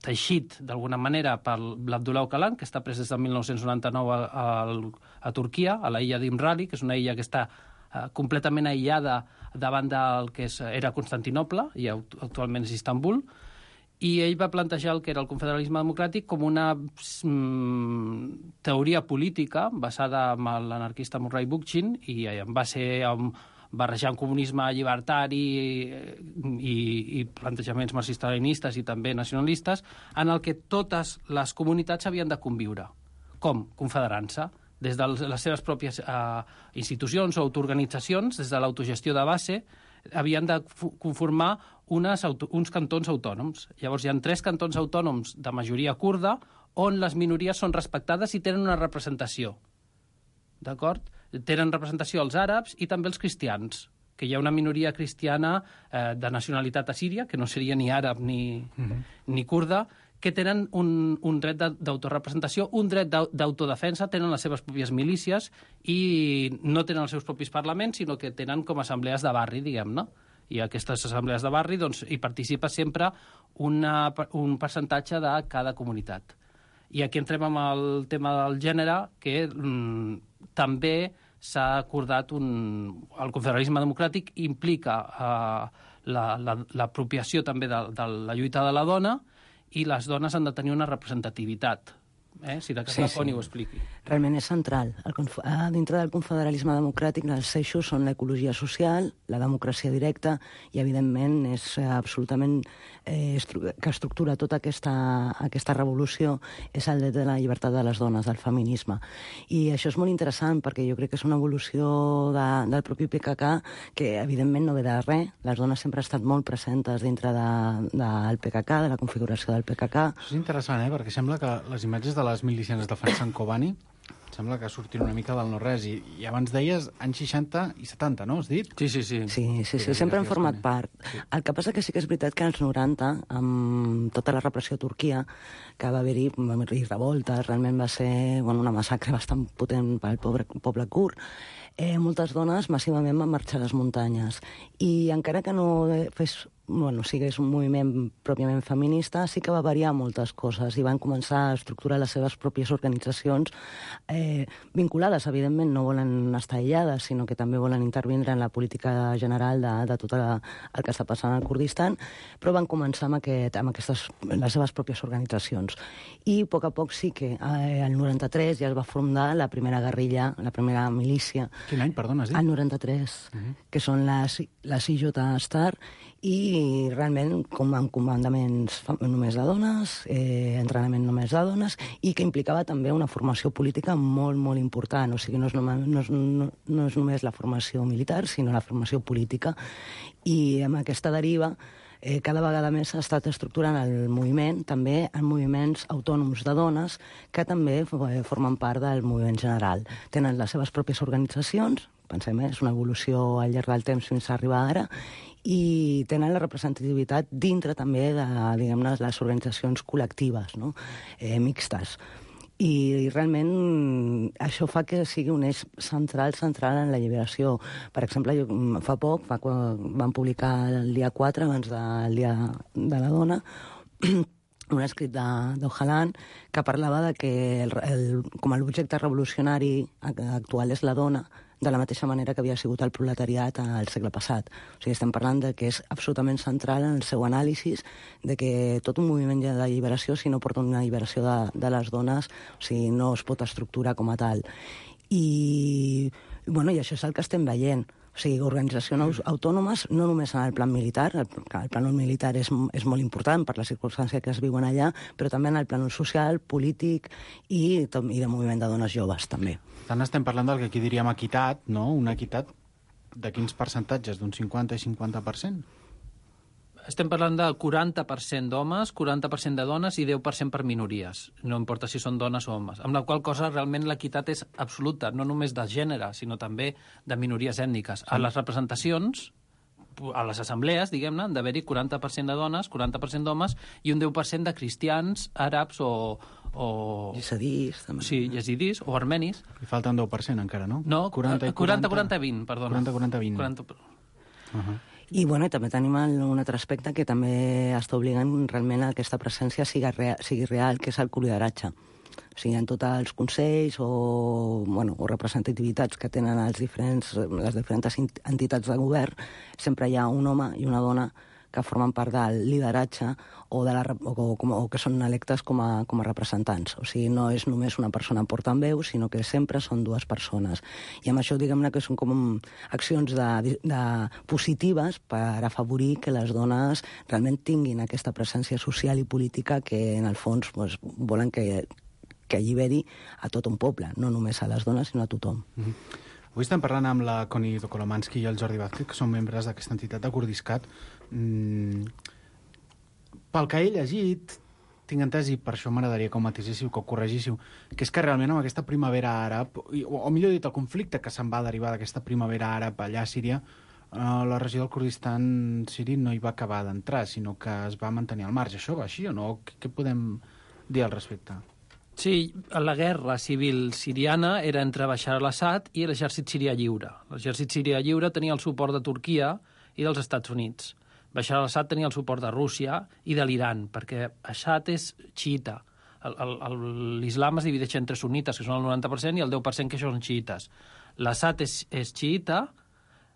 teixit d'alguna manera per l'Abdullah Öcalan, que està pres des de mil nou-cents noranta-nou a, a, a Turquia, a la illa d'Imrali, que és una illa que està eh, completament aïllada davant del que és, era Constantinoble, i actualment és Istanbul. I ell va plantejar el que era el confederalisme democràtic com una mm, teoria política basada en l'anarquista Murray Bookchin, i en va ser um, barrejant comunisme llibertari i, i plantejaments marxista-leninistes i també nacionalistes, en el que totes les comunitats havien de conviure. Com? Confederant-se. Des de les seves pròpies eh, institucions o autoorganitzacions, des de l'autogestió de base, havien de conformar unes auto, uns cantons autònoms. Llavors hi ha tres cantons autònoms de majoria kurda on les minories són respectades i tenen una representació. D'acord? Tenen representació els àrabs i també els cristians, que hi ha una minoria cristiana eh, de nacionalitat assíria, que no seria ni àrab ni, mm-hmm. ni kurda, que tenen un, un dret d'autorepresentació, un dret d'autodefensa, tenen les seves pròpies milícies i no tenen els seus propis parlaments, sinó que tenen com assemblees de barri, diguem-ne. I aquestes assemblees de barri doncs, hi participa sempre una, un percentatge de cada comunitat. I aquí entrem amb el tema del gènere, que mm, també s'ha acordat un... El confederalisme democràtic implica eh, l'apropiació la, la, també de, de la lluita de la dona, i les dones han de tenir una representativitat Eh? Si de cas Sí, la sí. Connie ho expliqui. Realment és central. El conf... ah, dintre del confederalisme democràtic, els eixos són l'ecologia social, la democràcia directa i, evidentment, és eh, absolutament eh, estru... que estructura tota aquesta, aquesta revolució és el dret de la llibertat de les dones, del feminisme. I això és molt interessant perquè jo crec que és una evolució de, del propi P K K que, evidentment, no ve de res. Les dones sempre han estat molt presentes dintre de, del P K K, de la configuració del P K K. Això és interessant, eh? Perquè sembla que les imatges de les milicianes defensant Kobani sembla que surtin una mica del no-res. I, I abans deies anys seixanta i setanta, no? Has dit? Sí, sí, sí. Sí, sí, sí, sempre han format part. El que passa que sí que és veritat que als noranta, amb tota la repressió a Turquia, que va haver-hi va haver-hi revoltes, realment va ser bueno, una massacre bastant potent pel poble, poble kurd, eh, moltes dones massivament van marxar a les muntanyes. I encara que no fes bueno, sigués un moviment pròpiament feminista, sí que va variar moltes coses i van començar a estructurar les seves pròpies organitzacions eh, vinculades, evidentment, no volen estar aïllades, sinó que també volen intervindre en la política general de, de tot el, el que està passant al Kurdistan, però van començar amb, aquest, amb aquestes, les seves pròpies organitzacions. I a poc a poc sí que eh, el noranta-tres ja es va fundar la primera guerrilla, la primera milícia. Quin any, perdona, has dit? El noranta-tres, uh-huh. que són les, les I J Star, i realment com amb comandaments només de dones, eh, entrenament només de dones, i que implicava també una formació política molt, molt important. O sigui, no és, només, no és, no, no és només la formació militar, sinó la formació política. I amb aquesta deriva eh, cada vegada més s'ha estat estructurant el moviment, també en moviments autònoms de dones, que també eh, formen part del moviment general. Tenen les seves pròpies organitzacions, pensem, eh, és una evolució al llarg del temps fins a arribar ara, i tenen la representativitat dintre també de, diguem-ne, les organitzacions col·lectives, no? eh, mixtes. I, I realment això fa que sigui un eix central, central en la lliberació. Per exemple, jo, fa poc, fa, van publicar el dia quatre, abans del Dia de la Dona, un escrit d'Ojalan que parlava de que el, el, com l'objecte revolucionari actual és la dona, de la mateixa manera que havia sigut el proletariat al segle passat. O sigui, estem parlant de que és absolutament central en el seu anàlisi, de que tot un moviment de lliberació, si no porta una lliberació de, de les dones, o sigui, no es pot estructurar com a tal. I, bueno, i això és el que estem veient. O sigui, organitzacions autònomes, no només en el plan militar, el, el plan militar és, és molt important per la circumstància que es viuen allà, però també en el plan social, polític i, i de moviment de dones joves, també. Tant estem parlant del que aquí diríem equitat, no? Una equitat de quins percentatges? D'un cinquanta i cinquanta per cent? Estem parlant del quaranta per cent d'homes, quaranta per cent de dones i deu per cent per minories. No importa si són dones o homes. Amb la qual cosa realment l'equitat és absoluta, no només de gènere, sinó també de minories ètniques. Sí. A les representacions, a les assemblees, diguem-ne, han d'haver-hi quaranta per cent de dones, quaranta per cent d'homes i un deu per cent de cristians, àrabs o... o... Yesidis, també. Sí, yesidis o armenis. Li falta un deu per cent encara, no? No, quaranta quaranta vint, perdona. quaranta quaranta vint. quaranta... Uh-huh. I, bueno, també tenim un altre aspecte que també està obligant realment a que aquesta presència sigui real, sigui real que és el lideratge. O sigui, en tots els consells o, bueno, o representativitats que tenen els diferents, les diferents entitats de govern, sempre hi ha un home i una dona que formen part del lideratge o, de la, o, o, o que són electes com a, com a representants. O sigui, no és només una persona portaveu, sinó que sempre són dues persones. I amb això, diguem-ne, que són com accions de, de positives per afavorir que les dones realment tinguin aquesta presència social i política que, en el fons, pues, volen que, que alliberi a tot un poble, no només a les dones, sinó a tothom. Mm-hmm. Avui estem parlant amb la Connie Dokolomansky i el Jordi Vázquez, que són membres d'aquesta entitat de Kurdiscat. Mm, pel que he llegit, tinc entès, i per això m'agradaria que ho matisíssiu, que ho corregíssiu, que és que realment amb aquesta primavera àrab, o, o millor dit, el conflicte que se'n va derivar d'aquesta primavera àrab allà a Síria, eh, la regió del Kurdistan siri no hi va acabar d'entrar, sinó que es va mantenir al marge. Això va així o no? Què, què podem dir al respecte? Sí, la guerra civil siriana era entre Bashar al-Assad i l'exèrcit sirià lliure. L'exèrcit sirià lliure tenia el suport de Turquia i dels Estats Units. Bashar al-Assad tenia el suport de Rússia i de l'Iran, perquè Assad és xiita. L'islam es divideix entre sunnites, que són el noranta per cent, i el deu per cent que són xiites. L'Assad és, és xiita,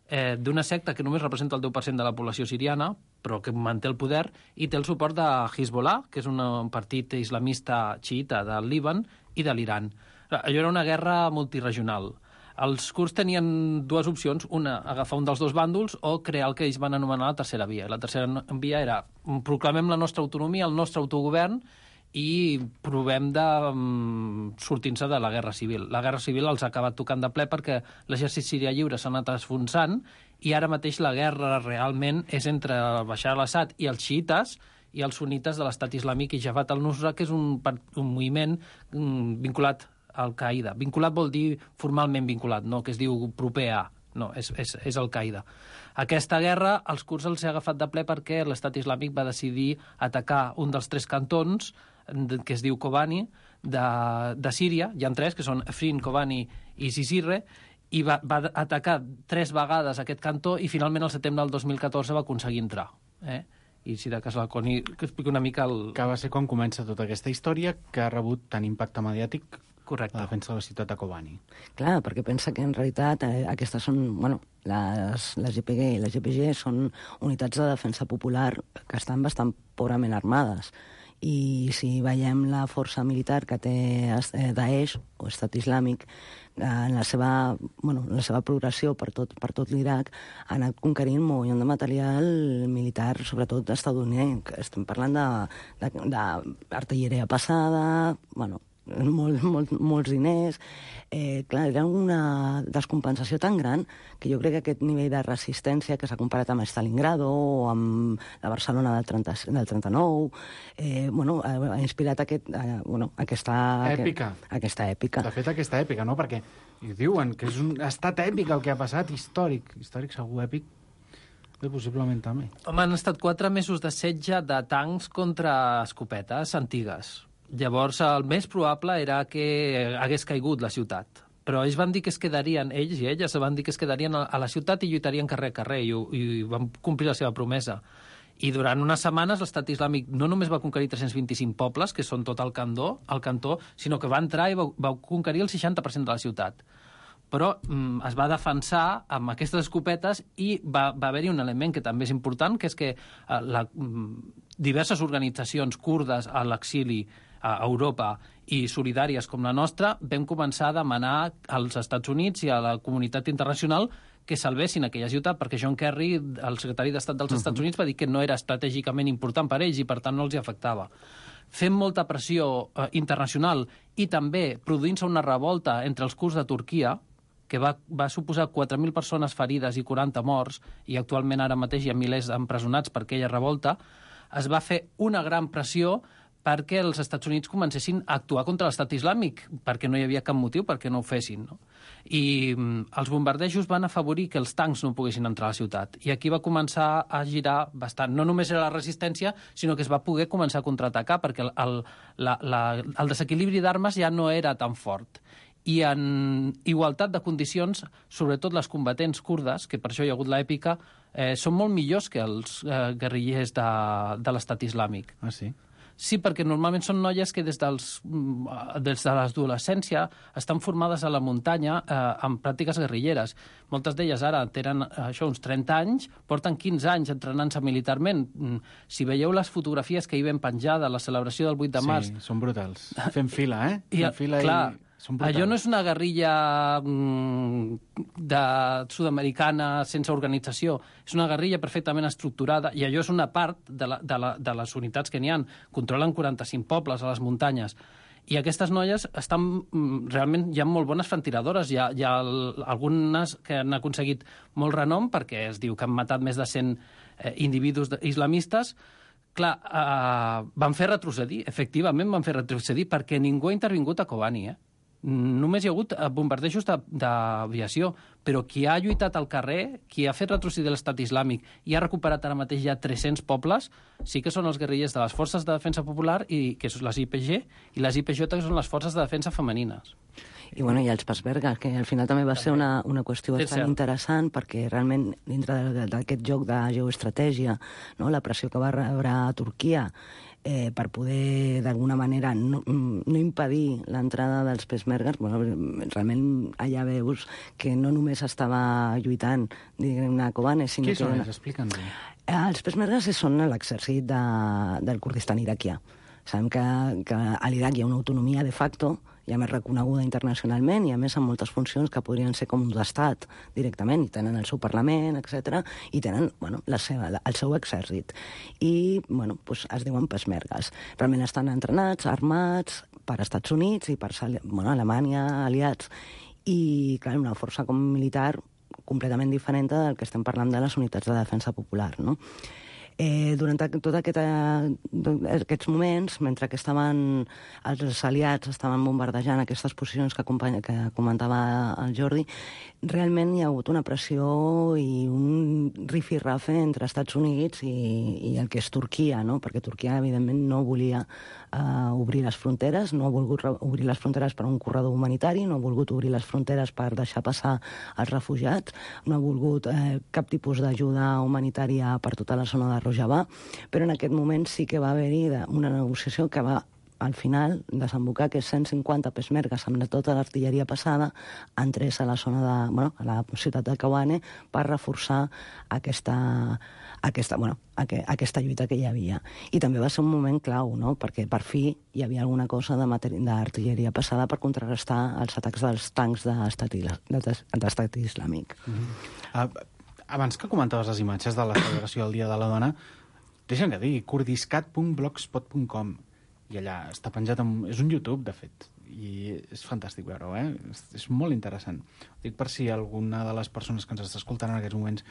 eh, d'una secta que només representa el deu per cent de la població siriana, però que manté el poder, i té el suport de Hezbollah, que és un partit islamista xiita del Líban i de l'Iran. Allò era una guerra multiregional. Els kurds tenien dues opcions, una, agafar un dels dos bàndols o crear el que ells van anomenar la tercera via. La tercera via era proclamem la nostra autonomia, el nostre autogovern i provem de um, sortir-se de la guerra civil. La guerra civil els ha acabat tocant de ple perquè l'exèrcit sirià lliure s'ha anat esfonsant i ara mateix la guerra realment és entre Bashar al-Assad i els xiites i els sunites de l'estat islàmic i Jabhat al-Nusra, que és un, un moviment um, vinculat Al-Qaeda. Vinculat vol dir formalment vinculat, no que es diu proper a. No, és, és, és Al-Qaeda. Aquesta guerra els kurds els ha agafat de ple perquè l'estat islàmic va decidir atacar un dels tres cantons, que es diu Kobani, de, de Síria. Hi ha tres, que són Afrin, Kobani i Cizre, i va, va atacar tres vegades aquest cantó i finalment el setembre del dos mil catorze va aconseguir entrar. Eh? I si de cas la Coni que expliqui una mica el... Que va ser quan comença tota aquesta història que ha rebut tant impacte mediàtic. Correcte. La defensa de la ciutat de Kobani. Clar, perquè pensa que en realitat eh, aquestes són, bueno, les, les G P G i les G P G són unitats de defensa popular que estan bastant pobrament armades. I si veiem la força militar que té eh, Daesh o Estat Islàmic, eh, en la seva, bueno, en la seva progressió per tot, per tot l'Iraq, ha anat conquerint un munt de material militar, sobretot estadounidenc. Estem parlant d'artilleria passada, bueno, molt, molt, molts diners. Eh, clar, era una descompensació tan gran que jo crec que aquest nivell de resistència que s'ha comparat amb Stalingrado o amb la Barcelona del, trenta, del trenta-nou, eh, bueno, ha inspirat aquest, eh, bueno, aquesta... Èpica. Aquest, aquesta èpica. De fet, aquesta èpica, no? Perquè i diuen que és un estat èpic el que ha passat, històric. Històric segur, èpic. Bé, possiblement també. Home, han estat quatre mesos de setge de tancs contra escopetes antigues. Llavors, el més probable era que hagués caigut la ciutat. Però ells van dir que es quedarien, ells i elles van dir que es quedarien a la ciutat i lluitarien carrer a carrer, i, i van complir la seva promesa. I durant unes setmanes l'estat islàmic no només va conquerir tres-cents vint-i-cinc pobles, que són tot el cantó, el cantó, sinó que va entrar i va, va conquerir el seixanta per cent de la ciutat. Però mm, es va defensar amb aquestes escopetes i va, va haver-hi un element que també és important, que és que eh, la, mm, diverses organitzacions kurdes a l'exili a Europa i solidàries com la nostra, vam començar a demanar als Estats Units i a la comunitat internacional que salvessin aquella ciutat, perquè John Kerry, el secretari d'Estat dels uh-huh. Estats Units, va dir que no era estratègicament important per ells i, per tant, no els hi afectava. Fent molta pressió eh, internacional i també produint-se una revolta entre els kurds de Turquia, que va, va suposar quatre mil persones ferides i quaranta morts, i actualment ara mateix hi ha milers empresonats per aquella revolta, es va fer una gran pressió perquè els Estats Units comencessin a actuar contra l'estat islàmic, perquè no hi havia cap motiu perquè no ho fessin. No? I mm, els bombardejos van afavorir que els tancs no poguessin entrar a la ciutat. I aquí va començar a girar bastant. No només era la resistència, sinó que es va poder començar a contraatacar, perquè el, el, la, la, el desequilibri d'armes ja no era tan fort. I en igualtat de condicions, sobretot les combatents kurdes, que per això hi ha hagut l'èpica, eh, són molt millors que els eh, guerrillers de, de l'estat islàmic. Ah, sí? Sí, perquè normalment són noies que des, dels, des de l'adolescència estan formades a la muntanya eh, amb pràctiques guerrilleres. Moltes d'elles ara tenen això, uns trenta anys, porten quinze anys entrenant-se militarment. Si veieu les fotografies que hi vam penjar de la celebració del vuit de març... Sí, són brutals. Fem fila, eh? I, Fem fila clar, i... Allò no és una guerrilla mm, de sud-americana sense organització, és una guerrilla perfectament estructurada i allò és una part de, la, de, la, de les unitats que n'hi ha. Controlen quaranta-cinc pobles a les muntanyes. I aquestes noies estan realment, hi ha molt bones frantiradores, hi ha, hi ha algunes que han aconseguit molt renom perquè es diu que han matat més de cent eh, individus islamistes. Clar, eh, van fer retrocedir, efectivament van fer retrocedir perquè ningú ha intervingut a Kobani, eh? Només hi ha hagut bombardejos d'aviació, però qui ha lluitat al carrer, qui ha fet retrocedir l'estat islàmic i ha recuperat ara mateix ja tres-cents pobles, sí que són els guerrillers de les Forces de Defensa Popular, i que són les I P G, i les I P J, que són les Forces de Defensa Femenines. I, bueno, i els Peshmerga, que al final també va ser una, una qüestió bastant interessant, perquè realment, dintre d'aquest joc de geoestratègia, no, la pressió que va rebre a Turquia, eh, per poder, d'alguna manera, no, no impedir l'entrada dels peshmergues. Bueno, realment allà veus que no només estava lluitant, diguem-ne, Kobane, sinó Qui que... són ells? Explica'ns-ho. Els peshmergues són l'exèrcit de, del Kurdistan iraquià. Sabem que, que a l'Iraq hi ha una autonomia de facto, i a més reconeguda internacionalment, i a més amb moltes funcions que podrien ser com d'estat directament, i tenen el seu Parlament, etcètera, i tenen, bueno, la seva, el seu exèrcit. I, bueno, doncs es diuen peshmergues. Realment estan entrenats, armats, per Estats Units i per, bueno, Alemanya, aliats, i, clar, una força com militar completament diferent del que estem parlant de les unitats de defensa popular, no? Eh, durant tots aquest, aquests moments, mentre que estaven, els aliats estaven bombardejant aquestes posicions que, que comentava el Jordi, realment hi ha hagut una pressió i un rifirrafe entre Estats Units i, i el que és Turquia, no? Perquè Turquia, evidentment, no volia uh, obrir les fronteres, no ha volgut obrir les fronteres per a un corredor humanitari, no ha volgut obrir les fronteres per deixar passar els refugiats, no ha volgut eh, cap tipus d'ajuda humanitària per tota la zona de Rojava, però en aquest moment sí que va haver-hi una negociació que va al final desembocar que cent cinquanta peshmergues amb tota l'artilleria passada entrés a la zona de, bueno, a la ciutat de Kobane per reforçar aquesta, aquesta, bueno, aquesta lluita que hi havia. I també va ser un moment clau, no? Perquè per fi hi havia alguna cosa d'artilleria passada per contrarrestar els atacs dels tancs d'estat islàmic. Mm-hmm. uh, abans que comentaves les imatges de la celebració del Dia de la Dona, deixa'm que digui kurdiscat punt blogspot punt com, i allà està penjat, amb... és un YouTube, de fet, i és fantàstic veure-ho, eh? És, és molt interessant. Ho dic per si alguna de les persones que ens està escoltant en aquests moments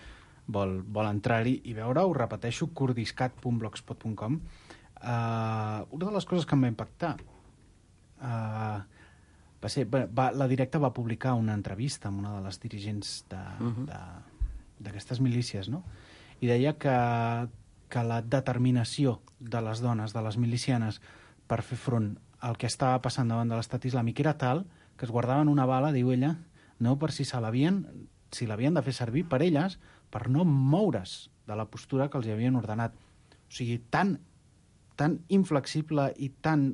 vol, vol entrar-hi i veure-ho. Repeteixo, kurdiscat punt blogspot punt com. Uh, una de les coses que em va impactar uh, va ser... Va, la Directa va publicar una entrevista amb una de les dirigents d'aquestes milícies, no? I deia que, que la determinació de les dones, de les milicianes, per fer front al que estava passant davant de l'estat islàmic era tal que es guardaven una bala, diu ella, no per si se l'havien si l'havien de fer servir per elles, per no moure's de la postura que els havien ordenat. O sigui, tan, tan inflexible i tan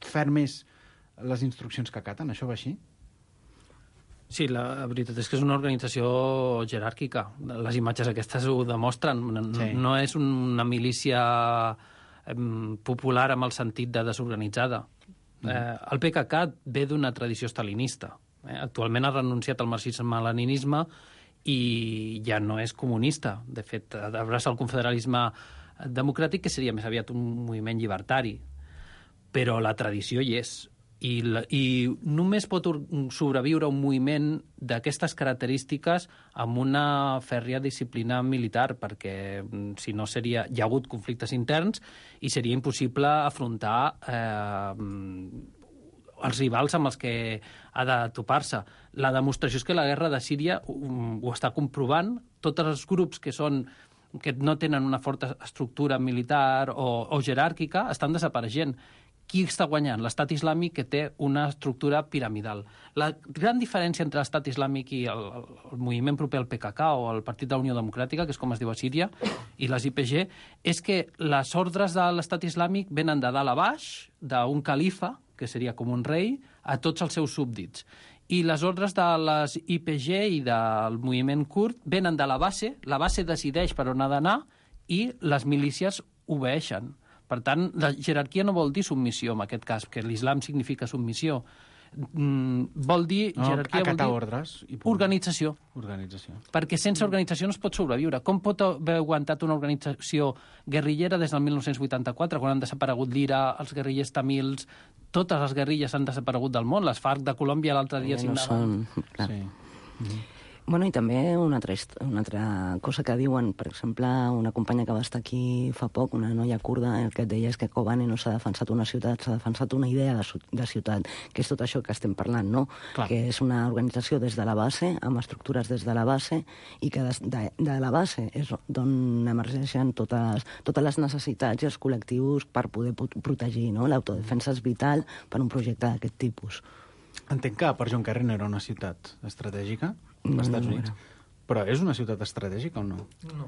ferm és les instruccions que acaten. Això va així? Sí, la veritat és que és una organització jeràrquica. Les imatges aquestes ho demostren. No, sí. No és una milícia popular amb el sentit de desorganitzada. Mm. Eh, el P K K ve d'una tradició stalinista. Eh? Actualment ha renunciat al marxisme-leninisme i ja no és comunista. De fet, abraça el confederalisme democràtic, que seria més aviat un moviment llibertari. Però la tradició hi és. I, la, i només pot sobreviure un moviment d'aquestes característiques amb una fèrria disciplina militar, perquè si no seria... Hi ha hagut conflictes interns i seria impossible afrontar eh, els rivals amb els que ha de topar-se. La demostració és que la guerra de Síria ho, ho està comprovant. Tots els grups que són que no tenen una forta estructura militar o, o jeràrquica estan desapareixent. Qui està guanyant? L'Estat Islàmic, que té una estructura piramidal. La gran diferència entre l'Estat Islàmic i el, el moviment proper al P K K o el Partit de la Unió Democràtica, que és com es diu a Síria, i les I P G, és que les ordres de l'Estat Islàmic venen de dalt a baix, d'un califa, que seria com un rei, a tots els seus súbdits. I les ordres de les I P G i del moviment kurd venen de la base, la base decideix per on ha d'anar i les milícies obeeixen. Per tant, la jerarquia no vol dir submissió, en aquest cas, que l'islam significa submissió. Mm, vol dir... No, jerarquia vol dir ordres i organització. Organització. Perquè sense organització no es pot sobreviure. Com pot haver aguantat una organització guerrillera des del mil nou-cents vuitanta-quatre, quan han desaparegut l'I R A, els guerrillers tamils, totes les guerrilles han desaparegut del món, les FARC de Colòmbia l'altre dia no signaven. Són... Clar. Sí. Mm-hmm. Bueno, i també una altra, una altra cosa que diuen, per exemple, una companya que va estar aquí fa poc, una noia kurda, el que et deia és que Kobane no s'ha defensat una ciutat, s'ha defensat una idea de, de ciutat, que és tot això que estem parlant, no? Clar. Que és una organització des de la base, amb estructures des de la base, i que de, de, de la base és d'on emergeixen totes, totes les necessitats i els col·lectius per poder protegir, no? L'autodefensa és vital per un projecte d'aquest tipus. Entenc que per John Kerry no era una ciutat estratègica, als Estats Units. Però és una ciutat estratègica o no? No.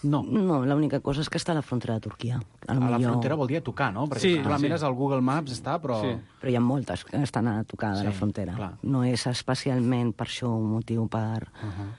No. No, l'única cosa és que està a la frontera de Turquia. A, A la millor... frontera vol dir a tocar, no? Perquè Sí, si tu la sí. mires al Google Maps està, però... Sí. Però hi ha moltes que estan a tocar de Sí, la frontera. clar. No és especialment per això un motiu per...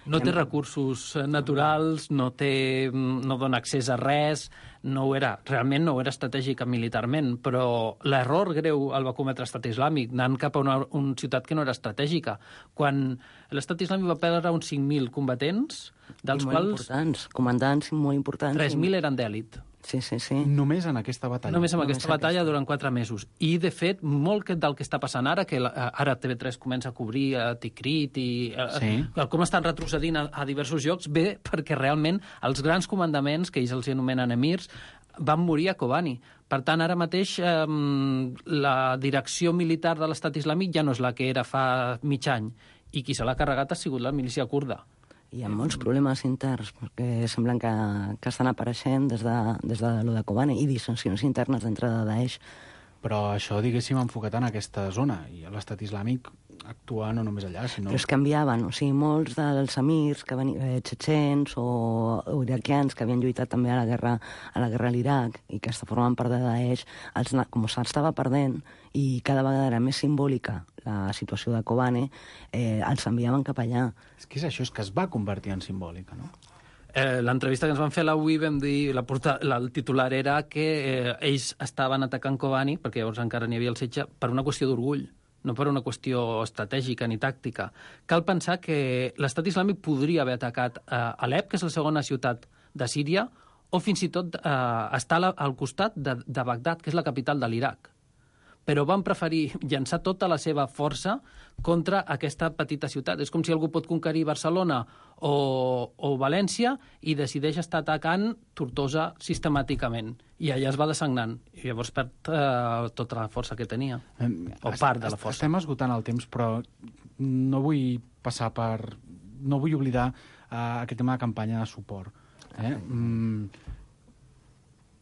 No té recursos eh, naturals, no, té, no dona accés a res, no ho era, realment no ho era estratègic militarment, però l'error greu el va cometre l'estat islàmic, anant cap a una, una ciutat que no era estratègica. Quan l'estat islàmic va perdre uns cinc mil combatents, dels I molt quals importants, comandants molt importants. tres mil eren d'èlit. Sí, sí, sí. Només en aquesta batalla. Només amb aquesta batalla durant quatre mesos. I, de fet, molt que- del que està passant ara, que la- ara T V tres comença a cobrir a Tikrit i eh, Sí. eh, com estan retrocedint a, a diversos llocs, ve perquè realment els grans comandaments, que ells els anomenen emirs, van morir a Kobani. Per tant, ara mateix eh, la direcció militar de l'estat islàmic ja no és la que era fa mig any, i qui se l'ha carregat ha sigut la milícia kurda. Hi ha molts problemes interns, perquè semblen que, que estan apareixent des de, des de lo de Kobane, i dissensions internes d'entrada de Daesh. Però això, diguéssim, enfocat en aquesta zona, i l'estat islàmic actua no només allà, sinó... Però es canviaven, o sigui, molts dels emirs que venien, eh, txetxens o, o iraquians que havien lluitat també a la guerra a la guerra a l'Iraq i que formaven part de Daesh, els, com s'estava perdent i cada vegada era més simbòlica la situació de Kobane, eh, els enviaven cap allà. És que és això, és que es va convertir en simbòlica, no? Eh, L'entrevista que ens van fer a la U I vam dir, la porta, la, el titular era que eh, ells estaven atacant Kobani, perquè llavors encara n'hi havia el setge, per una qüestió d'orgull, no per una qüestió estratègica ni tàctica. Cal pensar que l'estat islàmic podria haver atacat eh, Alep, que és la segona ciutat de Síria, o fins i tot eh, estar al costat de, de Bagdad, que és la capital de l'Iraq. Però van preferir llançar tota la seva força contra aquesta petita ciutat. És com si algú pot conquerir Barcelona o, o València i decideix estar atacant Tortosa sistemàticament. I allà es va desagnant. I llavors perd eh, tota la força que tenia. O part de la força. Estem esgotant el temps, però no vull passar per... No vull oblidar uh, aquest tema de campanya de suport. Eh? Mm,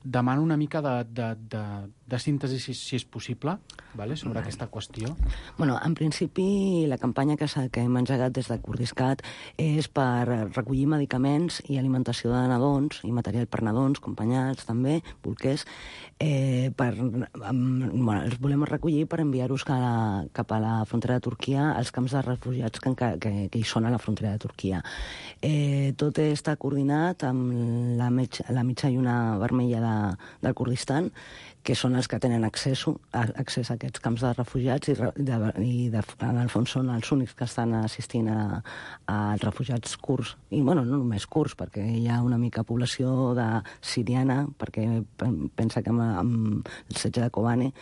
demano una mica de, de, de, de síntesi, si, si és possible, vale? sobre aquesta qüestió. Bueno, en principi, la campanya que, que hem engegat des de Kurdiscat és per recollir medicaments i alimentació de nadons i material per nadons, acompanyats també, bolquers, eh, per, um, bueno, els volem recollir per enviar-los cap a la frontera de Turquia, als camps de refugiats que, que, que hi són a la frontera de Turquia. Eh, tot està coordinat amb la, metge, la mitja lluna vermella de, del Kurdistan, que són els que tenen accés a, accés a aquests camps de refugiats i, de, i de, en el fons són els únics que estan assistint a, als refugiats kurds. I, bueno, no només kurds, perquè hi ha una mica població de siriana, perquè pensa que amb, amb el setge de Kobane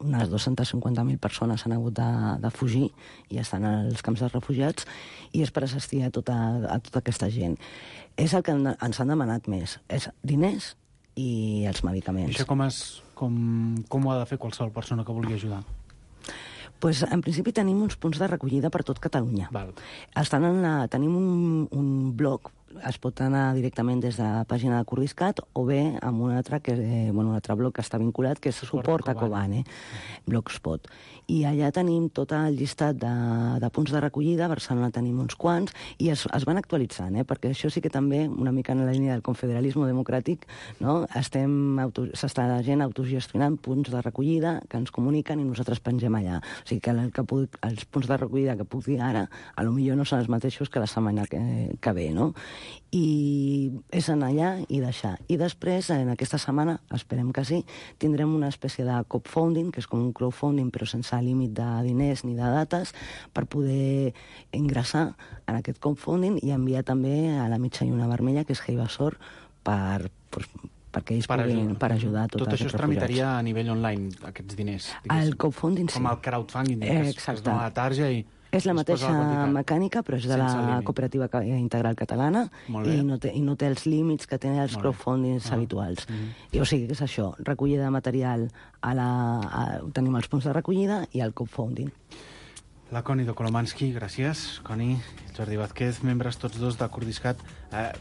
unes dues-centes cinquanta mil persones han hagut de, de fugir i estan als camps de refugiats, i és per assistir a tota, a tota aquesta gent. És el que ens han demanat més, és diners i els medicaments. I això com, es, com, com ho ha de fer qualsevol persona que vulgui ajudar? Pues, en principi tenim uns punts de recollida per tot Catalunya. Val. Estan en la, tenim un, un blog, es pot anar directament des de la pàgina de Kurdiscat o bé amb un altre, que, eh, bueno, un altre blog que està vinculat, que és Suport a Kobane, Blogspot. I allà tenim tot el llistat de, de punts de recollida, a Barcelona tenim uns quants, i es, es van actualitzant, eh? perquè això sí que també, una mica en la línia del confederalisme democràtic, no? Estem auto, s'està la gent autogestionant punts de recollida que ens comuniquen i nosaltres pengem allà. O sigui que, el, que puc, els punts de recollida que puc dir ara, a lo millor no són els mateixos que la setmana que, que ve, no? I és anar allà i deixar. I després, en aquesta setmana, esperem que sí, tindrem una espècie de crowdfunding, que és com un crowdfunding però sense límit de diners ni de dates, per poder ingressar en aquest crowdfunding i enviar també a la mitja lluna vermella, que és Heibasor, per, per, perquè ells per puguin ajudar. per ajudar a tots Tot els això es tramitaria a nivell online, aquests diners? El crowdfunding, sí. Com el crowdfunding, eh, que es, que es dona a la tarja i... És la mateixa mecànica, però és de la Cooperativa Integral Catalana i no, té, i no té els límits que tenen els crowdfundings ah. habituals. Mm. I, o sigui, que és això, recollida de material, a la, a, tenim els punts de recollida i el crowdfunding. La Connie de Kolomansky, gràcies. Connie, Jordi Vázquez, membres tots dos de Kurdiscat. Eh,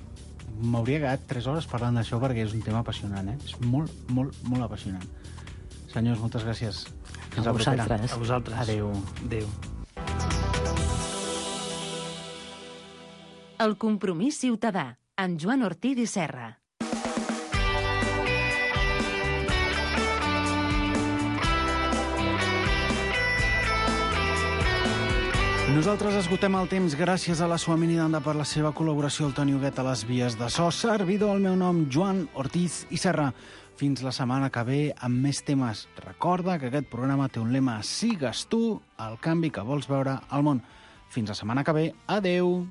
M'hauria quedat tres hores parlant d'això perquè és un tema apassionant, eh? És molt, molt, molt apassionant. Senyors, moltes gràcies. Fins a vosaltres. A vosaltres. Adéu. Adéu. El compromís ciutadà, amb Joan Ortiz i Serra. Nosaltres esgotem el temps gràcies a la Suamini Danda per la seva col·laboració, el Toni Huguet a les vies de so, servidor el meu nom, Joan Ortiz i Serra. Fins la setmana que ve amb més temes. Recorda que aquest programa té un lema: sigues tu el canvi que vols veure al món. Fins la setmana que ve. Adeu!